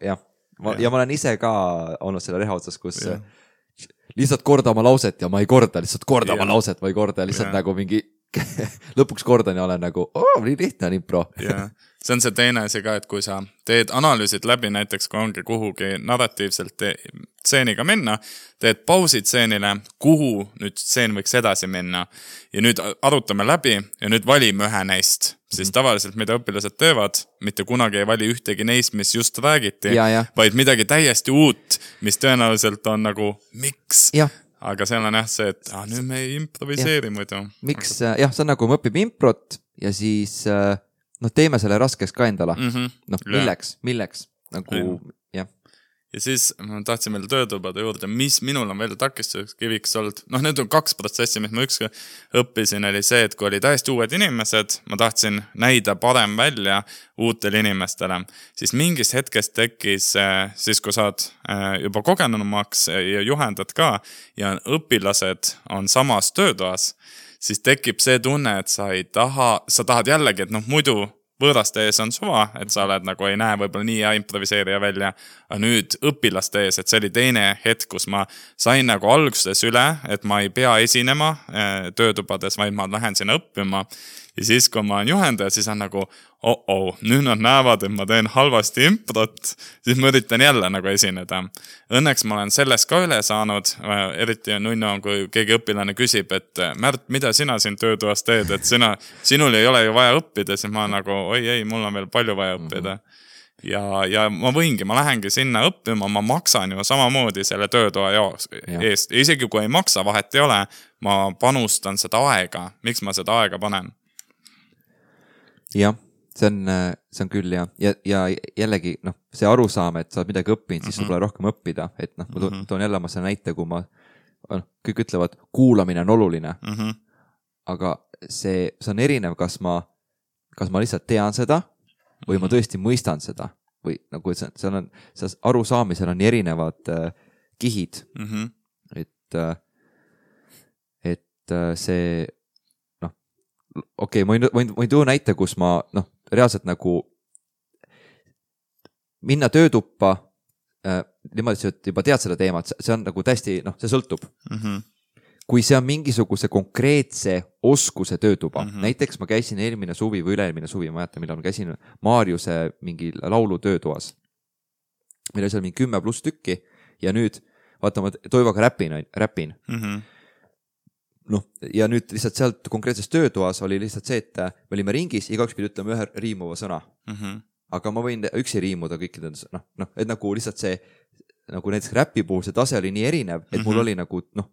jah, ma, yeah. ja ma olen ise ka olnud selle reha otsas, kus yeah. lihtsalt korda oma lauset ja ma ei korda, lihtsalt korda yeah. oma lauset, ma ei korda, lihtsalt yeah. nagu mingi lõpuks kordan ja olen nagu, oo, nii lihtne on impro.
Yeah. See on see teine asi ka, et kui sa teed analüüsid läbi, näiteks kui ongi kuhugi narratiivselt stseeniga minna, teed pausid stseenile, kuhu nüüd stseen võiks edasi minna ja nüüd arutame läbi ja nüüd valime ühe neist. Siis tavaliselt, mida õpilased teevad, mitte kunagi ei vali ühtegi neist, mis just räägiti,
ja, ja.
vaid midagi täiesti uut, mis tõenäoliselt on nagu, miks?
Ja.
Aga seal on jah see, et ah, nüüd me ei improviseeri muidu.
Miks? Jah, see on nagu me õpib improt ja siis noh, teeme selle raskeks ka endale. Mm -hmm. Noh, milleks, milleks? Nagu, jah.
Ja siis ma tahtsin veel töötubade juurde, mis minul on veel takistuseks kiviks olnud. Noh, need on kaks protsessi, mis ma ükski õppisin, oli see, et kui oli täiesti uued inimesed, ma tahtsin näida parem välja uutele inimestele. Siis mingist hetkest tekkis, siis kui saad juba kogenumaks ja juhendad ka ja õpilased on samas töötoas, siis tekib see tunne, et sa ei taha, sa tahad jällegi, et noh, muidu võõraste ees on suva, et sa oled nagu ei näe võib-olla nii ja improviseerija välja, aga nüüd õpilaste ees, et see oli teine hetk, kus ma sain nagu alguses üle, et ma ei pea esinema töötubades, vaid ma lähen sinna õppima. Ja siis, kui ma olen juhendaja, siis on nagu, oh, oh, nüüd nad näevad, et ma teen halvasti improt, siis ma üritan jälle nagu esineda. Õnneks ma olen sellest ka üle saanud, eriti on nunno, kui keegi õpilane küsib, et Märt, mida sina siin töötoas teed, et sina, sinul ei ole ju vaja õppida, siis ma nagu, oi ei, mul on veel palju vaja õppida. Ja, ja ma võingi, ma lähengi sinna õppima, ma maksan ju samamoodi selle töötoa eest. Ja isegi kui ei maksa, vahet ei ole, ma panustan seda aega. Miks ma seda aega panen?
Jah, see on, see on küll ja, ja, ja jällegi noh, see arusaam, et sa oled midagi õppinud, siis mm -hmm. sul pole rohkem õppida, et noh, ma toon, toon jälle ma selle näite, kui ma, noh, kõik ütlevad, kuulamine on oluline, mm -hmm. aga see, see on erinev, kas ma, kas ma lihtsalt tean seda või mm -hmm. ma tõesti mõistan seda või nagu, et seal on, seal arusaamisel on erinevad äh, kihid, mm -hmm. et, äh, et äh, see okei, okay, ma võin, võin, võin tuua näite, kus ma noh, reaalselt nagu minna töötuppa äh, niimoodi, et juba tead seda teemat, see on nagu täiesti, noh, see sõltub. Mm -hmm. Kui see on mingisuguse konkreetse oskuse töötuba, mm -hmm. näiteks ma käisin eelmine suvi või üle-eelmine suvi, ma jätan, millal ma käisin Maarjuse mingi laulu töötoas. Meil oli seal mingi kümme pluss tükki ja nüüd, vaata, ma Toivoga räpin, räpin. Mm -hmm. noh, ja nüüd lihtsalt sealt konkreetses töötoas oli lihtsalt see, et me olime ringis, igaüks pidi ütlema ühe riimuva sõna. Mm -hmm. Aga ma võin üksi riimuda kõikide, noh, noh, et nagu lihtsalt see, nagu näiteks räpi puhul see tase oli nii erinev, et mm -hmm. mul oli nagu, noh,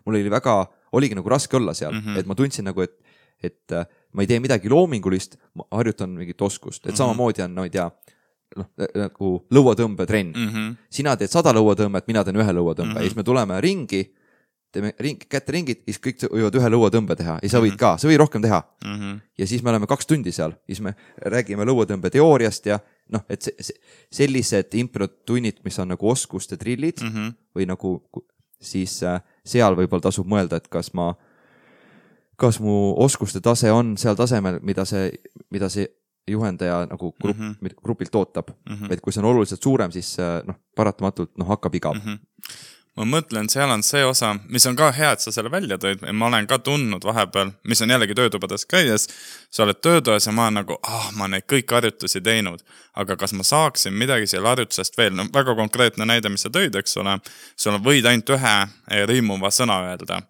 mul oli väga, oligi nagu raske olla seal, mm -hmm. et ma tundsin nagu, et, et ma ei tee midagi loomingulist, ma harjutan mingit oskust, et mm -hmm. samamoodi on, no ei tea, noh, nagu lõuatõmbetrenn. Mm -hmm. Sina teed sada lõuatõmbet, mina teen ühe lõuatõmbe mm -hmm. ja siis me tuleme ringi, teeme ring, kätte ringid, siis kõik võivad ühe lõuatõmbe teha ja sa võid ka, sa võid rohkem teha. Mm -hmm. Ja siis me oleme kaks tundi seal, siis me räägime lõuatõmbe teooriast ja noh, et see, see, sellised improtunnid, mis on nagu oskuste trillid mm -hmm. või nagu siis äh, seal võib-olla tasub mõelda, et kas ma, kas mu oskuste tase on seal tasemel, mida see, mida see juhendaja nagu grupp, mm -hmm. grupilt ootab. Mm -hmm. Et kui see on oluliselt suurem, siis noh, paratamatult noh, hakkab igav. Mm -hmm.
Ma mõtlen, seal on see osa, mis on ka hea, et sa selle välja tõid. Ma olen ka tundnud vahepeal, mis on jällegi töötubades käies. Sa oled töötoas ja ma olen nagu, ah, ma neid kõik harjutusi teinud. Aga kas ma saaksin midagi selle harjutusest veel? No, väga konkreetne näide, mis sa tõid, eks ole. Sul võid ainult ühe riimuva sõna öelda.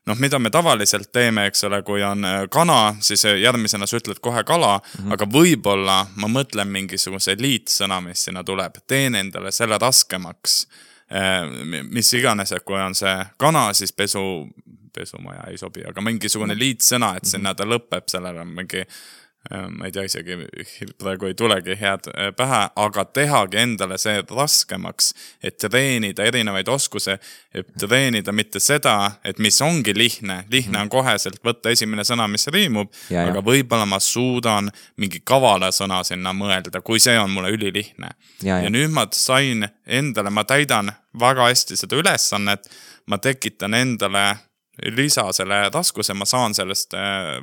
Noh, mida me tavaliselt teeme, eks ole, kui on kana, siis järgmisena sa ütled kohe kala, mm-hmm. aga võib-olla ma mõtlen mingisuguse liitsõna, mis sinna tuleb. Teen endale selle raskemaks. Mis iganes, et kui on see kana, siis pesu, pesumaja ei sobi, aga mingisugune liitsõna, et sinna ta lõpeb, sellele on mingi, ma ei tea isegi, praegu ei tulegi head pähe, aga tehagi endale see raskemaks, et treenida erinevaid oskuse, et treenida mitte seda, et mis ongi lihtne, lihtne on koheselt võtta esimene sõna, mis riimub, ja, aga ja. Võib-olla ma suudan mingi kavala sõna sinna mõelda, kui see on mulle ülilihtne. Ja, ja. ja nüüd ma sain endale, ma täidan väga hästi seda ülesannet, ma tekitan endale lisa selle raskuse, ma saan sellest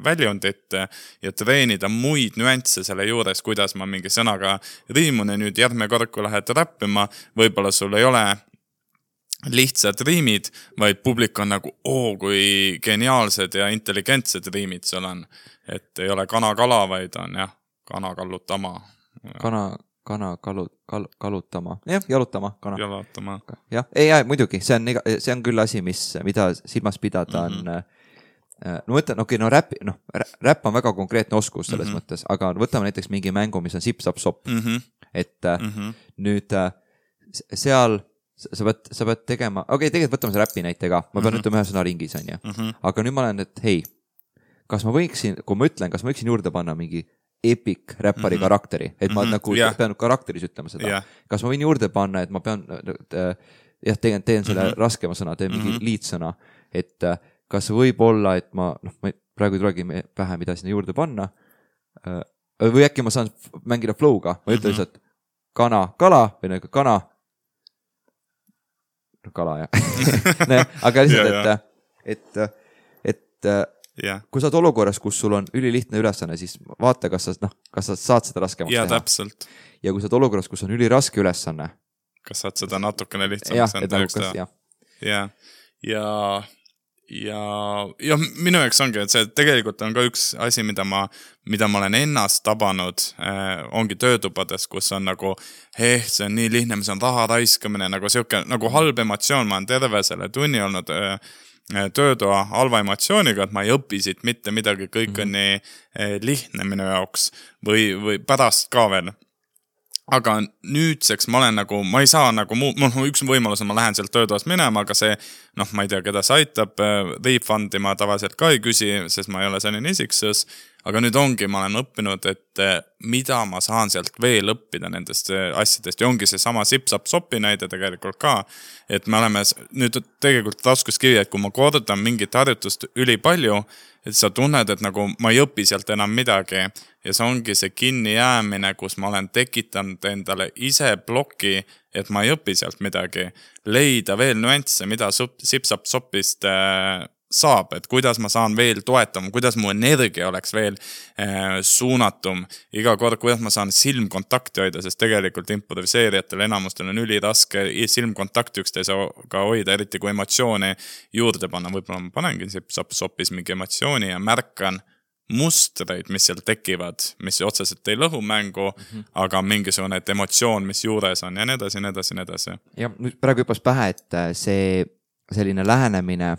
väljundit ja treenida muid nüansse selle juures, kuidas ma mingi sõnaga riimun ja nüüd järgmine kord, kui lähed räppima, võib-olla sul ei ole lihtsad riimid, vaid publik on nagu, oo, kui geniaalsed ja intelligentsed riimid sul on. Et ei ole kana-kala, vaid on jah, kana-kallutama.
Kana, kana, kalu, kal, kalutama. Jah, jalutama. Kana.
Jalutama.
Jah, ei, ei, muidugi. See on, see on küll asi, mis, mida silmas pidada on. Mm-hmm. No mõtlen, okei, okay, no räpp, no, räpp on väga konkreetne oskus selles mm-hmm. mõttes, aga võtame näiteks mingi mängu, mis on sip-sap-sop. Mm-hmm. Et mm-hmm. nüüd seal sa pead, sa pead tegema, okei, okay, tegelikult võtame see räppi näitega. Ma pean mm-hmm. ütlema ühe sõna ringis, on ju. Mm-hmm. Aga nüüd ma olen, et hei, kas ma võiksin, kui ma ütlen, kas ma võiksin juurde panna mingi epic räppari mm-hmm. karakteri, et ma mm-hmm. nagu yeah. pean karakteris ütlema seda. Yeah. Kas ma võin juurde panna, et ma pean, jah, teen, teen selle mm-hmm. raskema sõna, teen mingi mm-hmm. liitsõna, et kas võib olla, et ma, noh, ma praegu ei tulegi pähe, mida sinna juurde panna, või äkki ma saan mängida flow'ga, ma ütlen lihtsalt kana, kala, või nagu kana, kala, jah. Aga lihtsalt, et, et, et yeah. kui sa oled olukorras, kus sul on ülilihtne ülesanne, siis vaata, kas sa, noh, kas sa saad seda raskemaks
ja,
teha.
Täpselt.
Ja kui sa oled olukorras, kus on üliraske ülesanne.
Kas saad seda natukene lihtsamaks enda jaoks teha. Ja, ja, ja, ja minu jaoks ongi, et see tegelikult on ka üks asi, mida ma, mida ma olen ennast tabanud, äh, ongi töötubades, kus on nagu, eh, see on nii lihtne, mis on raha raiskamine, nagu siuke, nagu halb emotsioon, ma olen terve selle tunni olnud äh, töötoa halva emotsiooniga, et ma ei õpi siit mitte midagi, kõik mm-hmm. on nii lihtne minu jaoks või, või pärast ka veel. Aga nüüdseks ma olen nagu, ma ei saa nagu muu, mul üks võimalus on, ma lähen sealt töötoast minema, aga see, noh, ma ei tea, keda see aitab, refundi ma tavaliselt ka ei küsi, sest ma ei ole selline isiksus. Aga nüüd ongi, ma olen õppinud, et mida ma saan sealt veel õppida nendest asjadest ja ongi see sama sip-sap-sopi näide tegelikult ka, et me oleme nüüd tegelikult raskuskivi, et kui ma kordan mingit harjutust üli palju, et sa tunned, et nagu ma ei õpi sealt enam midagi ja see ongi see kinni jäämine, kus ma olen tekitanud endale ise ploki, et ma ei õpi sealt midagi, leida veel nüansse, mida sip-sap-sopist saab, et kuidas ma saan veel toetama, kuidas mu energia oleks veel äh, suunatum, iga kord, kuidas ma saan silmkontakti hoida, sest tegelikult improviseerijatel enamustel on üli raske silmkontakti üksteisega hoida, eriti kui emotsiooni juurde panna, võib-olla ma panengi sip-sap-sopis mingi emotsiooni ja märkan mustreid, mis seal tekivad, mis otseselt ei lõhu mängu, mm-hmm. aga mingisugune emotsioon, mis juures on ja nii edasi, nii edasi, nii edasi.
Ja nüüd praegu hüppas pähe, et see selline lähenemine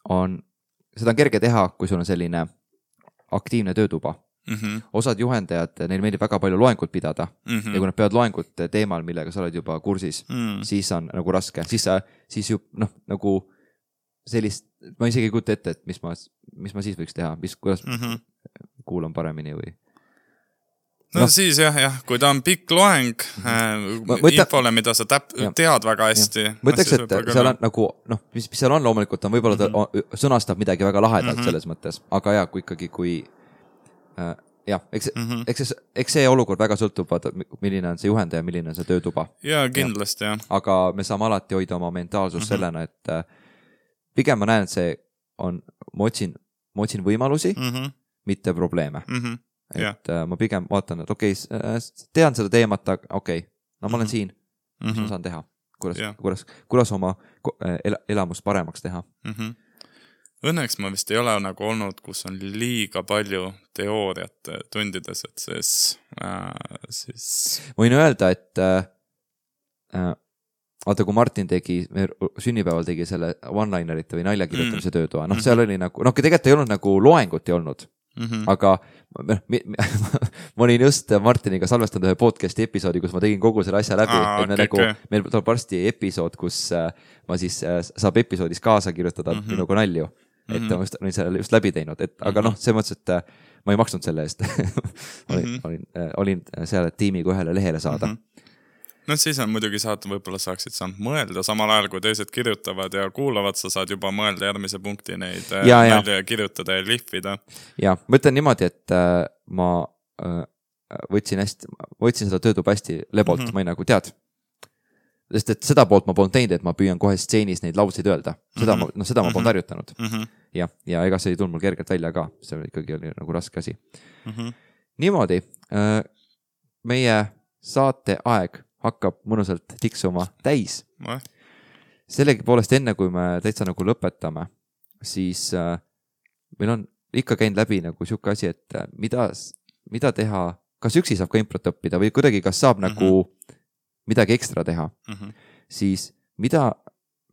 on, seda on kerge teha, kui sul on selline aktiivne töötuba. Mm-hmm. Osad juhendajad, neil meeldib väga palju loengut pidada mm-hmm. ja kui nad peavad loengut teemal, millega sa oled juba kursis, mm. siis on nagu raske. Siis, siis ju, noh, nagu sellist, ma isegi ei kujuta ette, et mis ma, mis ma siis võiks teha, mis, kuidas mm-hmm. kuulan paremini või...
No, no siis jah, jah, kui ta on pikk loeng äh, Mõte... infole, mida sa täp... tead väga hästi.
Mõtleks, et seal on nagu, noh, mis, mis seal on loomulikult, on võib-olla ta mm-hmm. sõnastab midagi väga lahedalt mm-hmm. selles mõttes, aga jah, kui ikkagi, kui äh, jah, eks, mm-hmm. eks, eks, eks see olukord väga sõltub, milline on see juhendaja, milline on see töötuba.
Ja kindlasti, jah.
Aga me saame alati hoida oma mentaalsus mm-hmm. sellena, et äh, pigem ma näen, et see on, ma otsin, ma otsin võimalusi, mm-hmm. mitte probleeme. Mm-hmm. Et yeah. ma pigem vaatan, et okei, okay, tean seda teemat, okei, okay, no ma olen mm-hmm. siin, mis mm-hmm. ma saan teha, kuidas, yeah. kuidas, kuidas oma el- elamust paremaks teha. Mm-hmm.
Õnneks ma vist ei ole nagu olnud, kus on liiga palju teooriat tundides, et siis, äh, siis...
ma võin öelda, et äh, vaata, kui Martin tegi, sünnipäeval tegi selle one-linerite või naljakirjutamise mm. töötoa, noh, mm-hmm. seal oli nagu, noh, tegelikult ei olnud nagu loengut ei olnud. Mm-hmm. Aga ma olin just Martiniga salvestanud ühe podcasti episoodi, kus ma tegin kogu selle asja läbi.
Aa,
et me
okay,
nagu,
okay.
meil tuleb varsti episood, kus ma siis saab episoodis kaasa kirjutada mm-hmm. minuga nalju. Et mm-hmm. ma just, olin selle just läbi teinud. Et, aga mm-hmm. noh, see mõttes, et ma ei maksnud selle eest. olin, mm-hmm. olin, olin seal tiimiga ühele lehele saada. Mm-hmm.
No siis on muidugi saad, võib-olla saaksid saanud mõelda, samal ajal kui teised kirjutavad ja kuulavad, sa saad juba mõelda järgmise punkti neid ja, ja. kirjutada ja lihvida.
Ja, ma ütlen niimoodi, et äh, ma äh, võtsin, hästi, võtsin seda töötuba hästi lebolt, mm-hmm. ma ei nagu tead, sest et seda poolt ma polnud teinud, et ma püüan kohe stseenis neid lauseid öelda. Seda mm -hmm. ma, no seda ma polnud harjutanud. Mm -hmm. ja, ja ega see ei tulnud mul kergelt välja ka. See oli ikkagi oli nagu raske asi. Mm -hmm. Niimoodi, meie saate aeg hakkab mõnusalt tiksuma täis. Mm. Sellegi poolest enne, kui me täitsa nagu lõpetame, siis meil on ikka käinud läbi nagu siuke asi, et mida, mida teha, kas üksi saab ka improt õppida või kuidagi, kas saab mm-hmm. nagu midagi ekstra teha, mm-hmm. siis mida,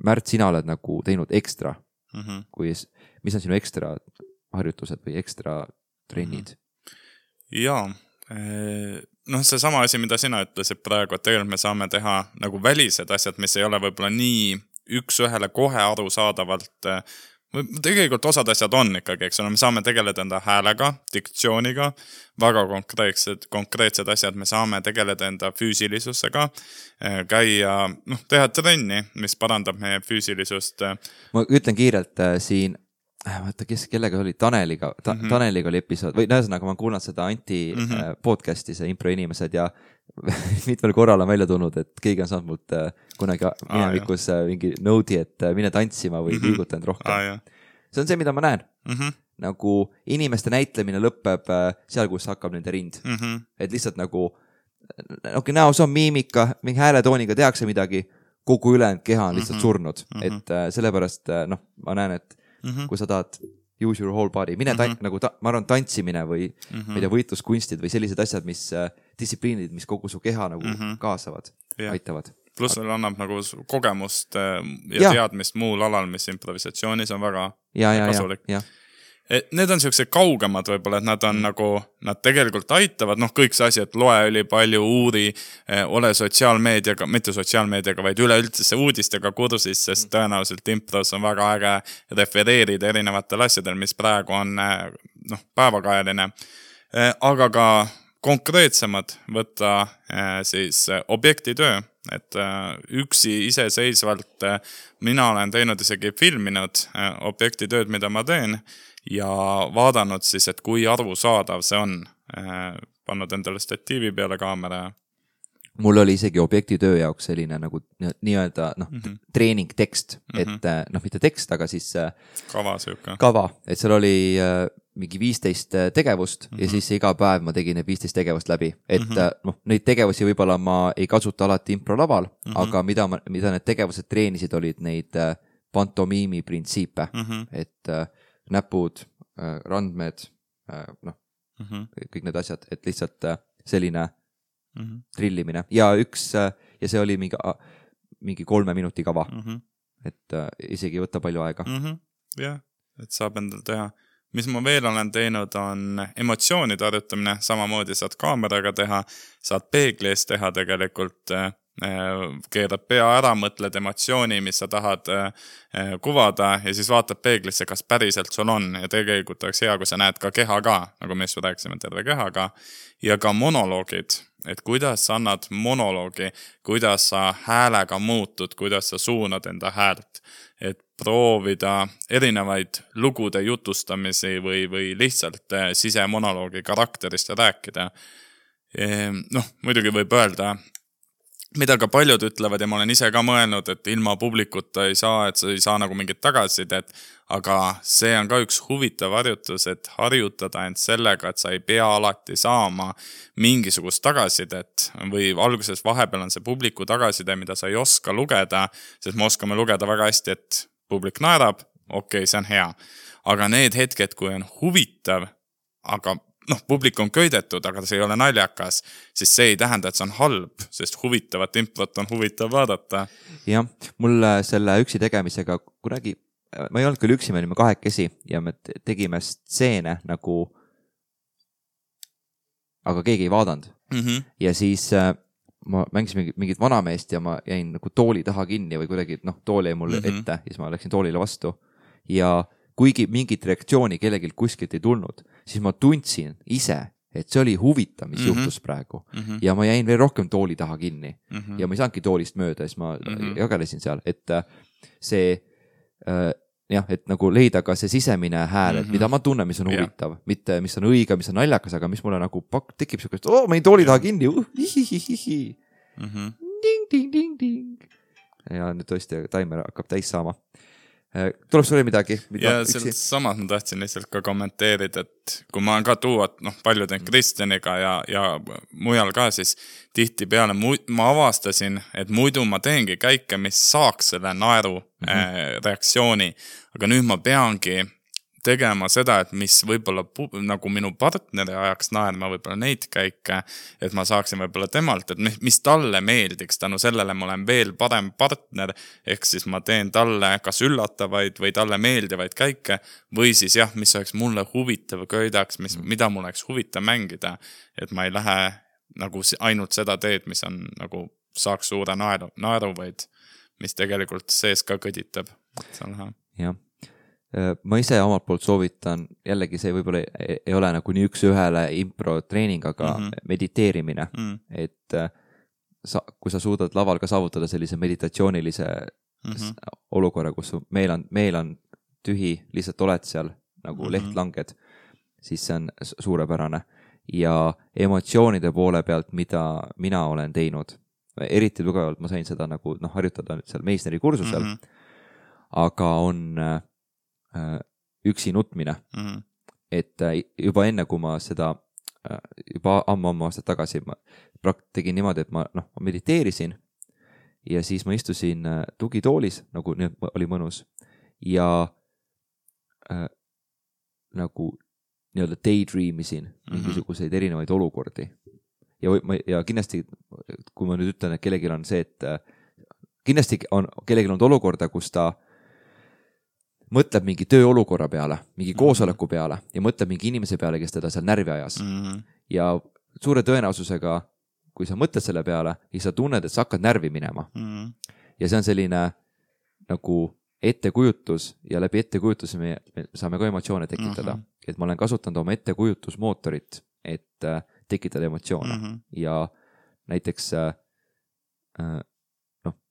Märt, sina oled nagu teinud ekstra, mm-hmm. kui, mis on sinu ekstra harjutused või ekstra trennid?
Mm-hmm. Jaa, noh, see sama asi, mida sina ütlesid praegu, et tegelikult me saame teha nagu välised asjad, mis ei ole võib-olla nii üks ühele kohe arusaadavalt. Tegelikult osad asjad on ikkagi, eks ole, me saame tegeleda enda häälega, diktsiooniga, väga konkreetsed, konkreetsed asjad, me saame tegeleda enda füüsilisusega, käia, noh, teha trenni, mis parandab meie füüsilisust.
Ma ütlen kiirelt äh, siin, vaata, kes, kellega oli Taneliga, ta, mm -hmm. Taneliga oli episood, või näesõnaga ma kuulan seda Anti mm -hmm. äh, podcasti, see impro inimesed ja mitmel korral on välja tulnud, et keegi on saanud mult äh, kunagi minevikus ah, mingi note'i, et äh, mine tantsima või mm -hmm. liigutanud rohkem. Ah, see on see, mida ma näen. Mm -hmm. Nagu inimeste näitlemine lõpeb äh, seal, kus hakkab nende rind. Mm -hmm. Et lihtsalt nagu, okei, okay, näos on miimika, mingi hääletooniga tehakse midagi, kogu ülejäänud keha on lihtsalt mm -hmm. surnud. Mm -hmm. Et äh, sellepärast, äh, noh, ma näen, et mm -hmm. kui sa tahad use your whole body, mine ta- mm -hmm. nagu ta- ma arvan, tantsimine või mm -hmm. ma ei tea, võitluskunstid või sellised asjad, mis äh, distsipliinid, mis kogu su keha nagu mm -hmm. kaasavad, yeah. aitavad.
Pluss veel annab nagu kogemust ja, ja teadmist muul alal, mis improvisatsioonis on väga
ja, ja,
kasulik.
Ja, ja.
Et need on sellised kaugemad võib-olla, et nad on mm. nagu, nad tegelikult aitavad, noh, kõik see asi, et loe üli palju, uuri, ole sotsiaalmeediaga, mitte sotsiaalmeediaga, vaid üleüldse uudistega kursis, sest mm. tõenäoliselt impros on väga äge refereerida erinevatel asjadel, mis praegu on, noh, päevakajaline. Aga ka konkreetsemad võtta siis objektitöö, et üksi iseseisvalt mina olen teinud isegi filminud objektitööd, mida ma teen ja vaadanud siis, et kui arusaadav see on, pannud endale statiivi peale kaamera.
Mul oli isegi objektitöö jaoks selline nagu nii-öelda noh, mm -hmm. treening tekst, mm -hmm. et noh, mitte tekst, aga siis
kava sööka.
Kava, et seal oli mingi viisteist tegevust mm -hmm. ja siis iga päev ma tegin need viisteist tegevust läbi. Et mm -hmm. noh, neid tegevusi võib-olla ma ei kasuta alati improlaval, mm -hmm. aga mida, ma, mida need tegevused treenisid, olid neid pantomiimi printsiipe, mm -hmm. et äh, näpud, äh, randmed, äh, noh, mm -hmm. kõik need asjad, et lihtsalt äh, selline mm -hmm. trillimine. Ja üks, äh, ja see oli mingi, äh, mingi kolme minuti kava, mm -hmm. et äh, isegi ei võta palju aega.
Mm -hmm. jah, et saab endal teha. Mis ma veel olen teinud, on emotsioonide harjutamine, samamoodi saad kaameraga teha, saad peeglis teha tegelikult, keerad pea ära, mõtled emotsiooni, mis sa tahad kuvada ja siis vaatad peeglisse, kas päriselt sul on ja tegelikult oleks hea, kui sa näed ka keha ka, nagu me just rääkisime terve kehaga ja ka monoloogid, et kuidas sa annad monoloogi, kuidas sa häälega muutud, kuidas sa suunad enda häält, et proovida erinevaid lugude jutustamisi või, või lihtsalt sisemonoloogi karakterist rääkida. Noh, muidugi võib öelda, mida ka paljud ütlevad ja ma olen ise ka mõelnud, et ilma publikuta ei saa, et sa ei saa nagu mingit tagasisidet, aga see on ka üks huvitav harjutus, et harjutada end sellega, et sa ei pea alati saama mingisugust tagasisidet või alguses vahepeal on see publiku tagasiside, mida sa ei oska lugeda, sest me oskame lugeda väga hästi, et publik naerab, okei, okay, see on hea. Aga need hetked, kui on huvitav, aga noh, publik on köidetud, aga see ei ole naljakas, siis see ei tähenda, et see on halb, sest huvitavat improt on huvitav vaadata.
Jah, mul selle üksi tegemisega kunagi, ma ei olnud küll üksi, me olime kahekesi ja me tegime stseene nagu, aga keegi ei vaadanud. Mm -hmm. Ja siis ma mängisin mingit vanameest ja ma jäin nagu tooli taha kinni või kuidagi, noh, tool jäi mulle mm -hmm. ette ja siis ma läksin toolile vastu ja kuigi mingit reaktsiooni kellegilt kuskilt ei tulnud, siis ma tundsin ise, et see oli huvitav, mis mm -hmm. juhtus praegu. Mm -hmm. Ja ma jäin veel rohkem tooli taha kinni. Mm -hmm. Ja ma ei saanudki toolist mööda, siis ma mm -hmm. jagelesin seal, et see äh, jah, et nagu leida ka see sisemine hääl, et mm -hmm. mida ma tunnen, mis on huvitav, yeah. mitte mis on õige, mis on naljakas, aga mis mulle nagu pak- tekib siukest, oo, ma jäin tooli taha kinni, uh, hihihihi. Mm -hmm. ting-ting-ting-ting. Ja nüüd tõesti taimer hakkab täis saama. Tuleb sulle midagi?
Ja sealt samad ma tahtsin lihtsalt ka kommenteerida, et kui ma olen ka tuua, noh, paljuden Kristjaniga ja, ja mujal ka, siis tihti peale ma avastasin, et muidu ma teengi käike, mis saaks selle naeru mm-hmm. äh, reaktsiooni, aga nüüd ma peangi tegema seda, et mis võib-olla nagu minu partneri ajaks naerma võib-olla neid käike, et ma saaksin võib-olla temalt, et mis talle meeldiks, tänu sellele ma olen veel parem partner, ehk siis ma teen talle kas üllatavaid või talle meeldivaid käike, või siis jah, mis oleks mulle huvitav köidaks, mis, mida mul oleks huvitav mängida, et ma ei lähe nagu ainult seda teed, mis on nagu saaks suure naeru, naeru vaid mis tegelikult sees ka kõditab.
Jah. Ma ise omalt poolt soovitan, jällegi see võib-olla ei, ei ole nagu nii üks ühele impro treening, aga mm-hmm. mediteerimine, mm. et sa, kui sa suudad laval ka saavutada sellise meditatsioonilise mm-hmm. olukorra, kus meil on, meil on tühi, lihtsalt oled seal nagu mm-hmm. leht langed, siis see on suurepärane. Ja emotsioonide poole pealt, mida mina olen teinud, eriti tugevalt ma sain seda nagu noh, harjutada nüüd seal Meisneri kursusel, mm-hmm. aga on üksi nutmine. Mm-hmm. Et juba enne, kui ma seda, juba ammu-ammu aastat tagasi ma tegin niimoodi, et ma, noh, ma mediteerisin ja siis ma istusin tugitoolis, nagu nüüd oli mõnus ja äh, nagu nii-öelda daydreamisin mingisuguseid mm-hmm. erinevaid olukordi. Ja, ja kindlasti, kui ma nüüd ütlen, et kellelgi on see, et kindlasti on, kellelgi on olukorda, kus ta mõtleb mingi tööolukorra peale, mingi mm-hmm. koosoleku peale ja mõtleb mingi inimese peale, kes teda seal närvi ajas. Mm-hmm. Ja suure tõenäosusega, kui sa mõtled selle peale, siis sa tunned, et sa hakkad närvi minema. Mm-hmm. Ja see on selline nagu ettekujutus ja läbi ettekujutuse me, me saame ka emotsioone tekitada. Mm-hmm. Et ma olen kasutanud oma ettekujutusmootorit, et äh, tekitada emotsioone. Mm-hmm. Ja näiteks äh, noh,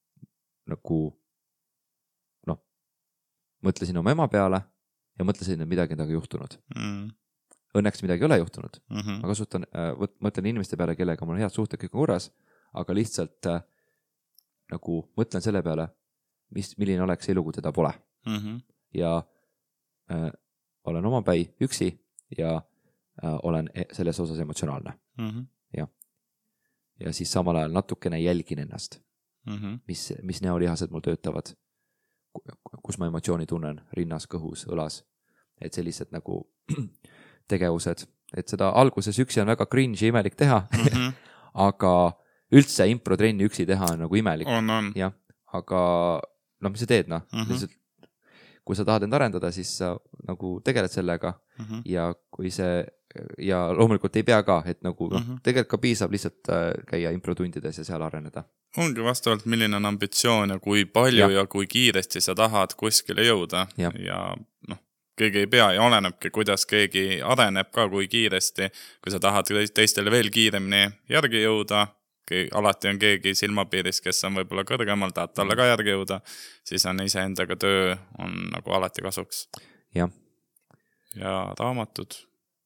nagu mõtlesin oma ema peale ja mõtlesin, et midagi on juhtunud. Mm. Õnneks midagi ei ole juhtunud. Mm-hmm. Ma kasutan, võt, mõtlen inimeste peale, kellega mul on head suhted kõik korras, aga lihtsalt äh, nagu mõtlen selle peale, mis, milline oleks elu, kui teda pole. Mm-hmm. Ja äh, olen oma päi üksi ja äh, olen selles osas emotsionaalne. Mm-hmm. Ja. ja siis samal ajal natukene jälgin ennast, mm-hmm. mis, mis näolihased mul töötavad, kus ma emotsiooni tunnen rinnas, kõhus, õlas, et sellised nagu tegevused, et seda alguses üksi on väga cringe ja imelik teha, mm-hmm. aga üldse impro-trenni üksi teha on nagu imelik.
On, on.
Ja, aga no mis sa teed, noh, mm-hmm. lihtsalt, kui sa tahad end arendada, siis sa nagu tegeled sellega mm-hmm. ja kui see, ja loomulikult ei pea ka, et nagu mm-hmm. tegelikult ka piisab lihtsalt käia improtundides ja seal areneda.
Ongi vastavalt, milline on ambitsioon ja kui palju ja, ja kui kiiresti sa tahad kuskile jõuda ja, ja noh, keegi ei pea ja olenebki, kuidas keegi areneb ka, kui kiiresti, kui sa tahad teistele veel kiiremini järgi jõuda, alati on keegi silmapiiris, kes on võib-olla kõrgemal, tahad talle ka järgi jõuda, siis on ise endaga töö on nagu alati kasuks.
Ja,
ja raamatud,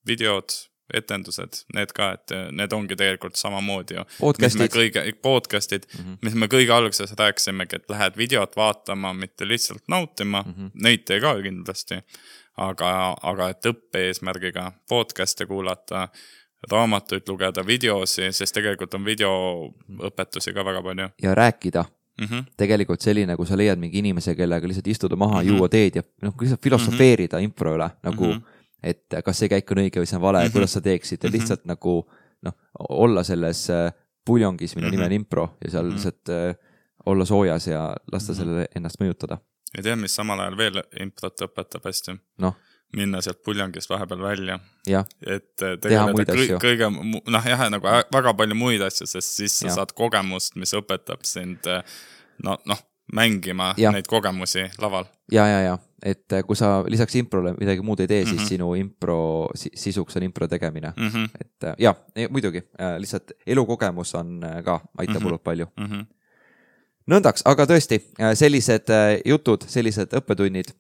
videod, etendused, need ka, et need ongi tegelikult samamoodi ju.
Podcastid.
Kõige, podcastid, mm-hmm. mis me kõige alguses rääkisimegi, et lähed videot vaatama, mitte lihtsalt nautima, mm-hmm. neid tee ka kindlasti, aga, aga et õppe eesmärgiga podcast'e kuulata, raamatuid lugeda, videosi, sest tegelikult on videoõpetusi ka väga palju.
Ja rääkida. Mm-hmm. Tegelikult selline, kui sa leiad mingi inimese, kellega lihtsalt istuda maha, mm-hmm. juua teed ja noh, lihtsalt filosofeerida mm-hmm. impro üle, nagu mm-hmm. et kas see käik on õige või see on vale, mm-hmm. kuidas sa teeksid ja lihtsalt mm-hmm. nagu noh, olla selles puljongis, mille mm-hmm. nime on impro ja seal mm-hmm. lihtsalt äh, olla soojas ja lasta mm-hmm. selle ennast mõjutada.
Ja tea, mis samal ajal veel improt õpetab hästi?
No.
Minna sealt puljongist vahepeal välja.
Ja.
Et tegeleda kõige, kõige, noh jah, nagu väga palju muid asju, sest siis sa ja. Saad kogemust, mis õpetab sind no, noh, mängima ja. Neid kogemusi laval.
Ja, ja, ja. Et kui sa lisaks improle midagi muud ei tee, mm-hmm. siis sinu impro sisuks on impro tegemine. Mm-hmm. Et ja, muidugi, lihtsalt elukogemus on ka, aitab mm-hmm. palju. Mm-hmm. Nõndaks, aga tõesti, sellised jutud, sellised õppetunnid,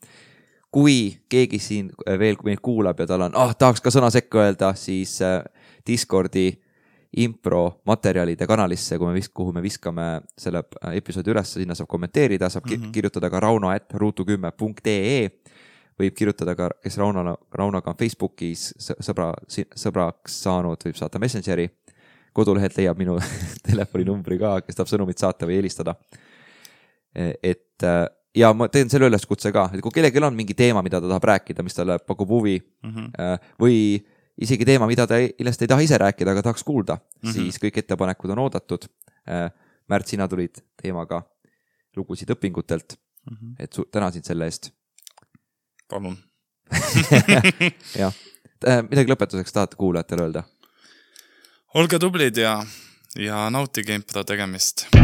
kui keegi siin veel meid kuulab ja tal on, ah, tahaks ka sõna sekka öelda, siis Discordi impro materjalide kanalisse, kui me vis- kuhu me viskame selle episoodi üles, sinna saab kommenteerida, saab mm -hmm. kirjutada ka rauno at ruutu kümme punkt ee, võib kirjutada ka, kes Rauno, Raunoga on Facebookis sõbra, sõbraks saanud, võib saata Messengeri, kodulehelt leiab minu telefoninumbri ka, kes tahab sõnumit saata või helistada. Et ja ma teen selle üleskutse ka, et kui kellelgi on mingi teema, mida ta tahab rääkida, mis talle pakub huvi mm -hmm. või isegi teema, mida ta ilmselt ei taha ise rääkida, aga tahaks kuulda, mm -hmm. siis kõik ettepanekud on oodatud. Märt, sina tulid teemaga lugusid õpingutelt, mm -hmm. et su, tänasin selle eest.
Palun.
jah, midagi lõpetuseks tahate kuulajatele öelda?
Olge tublid ja, ja nautige impro tegemist.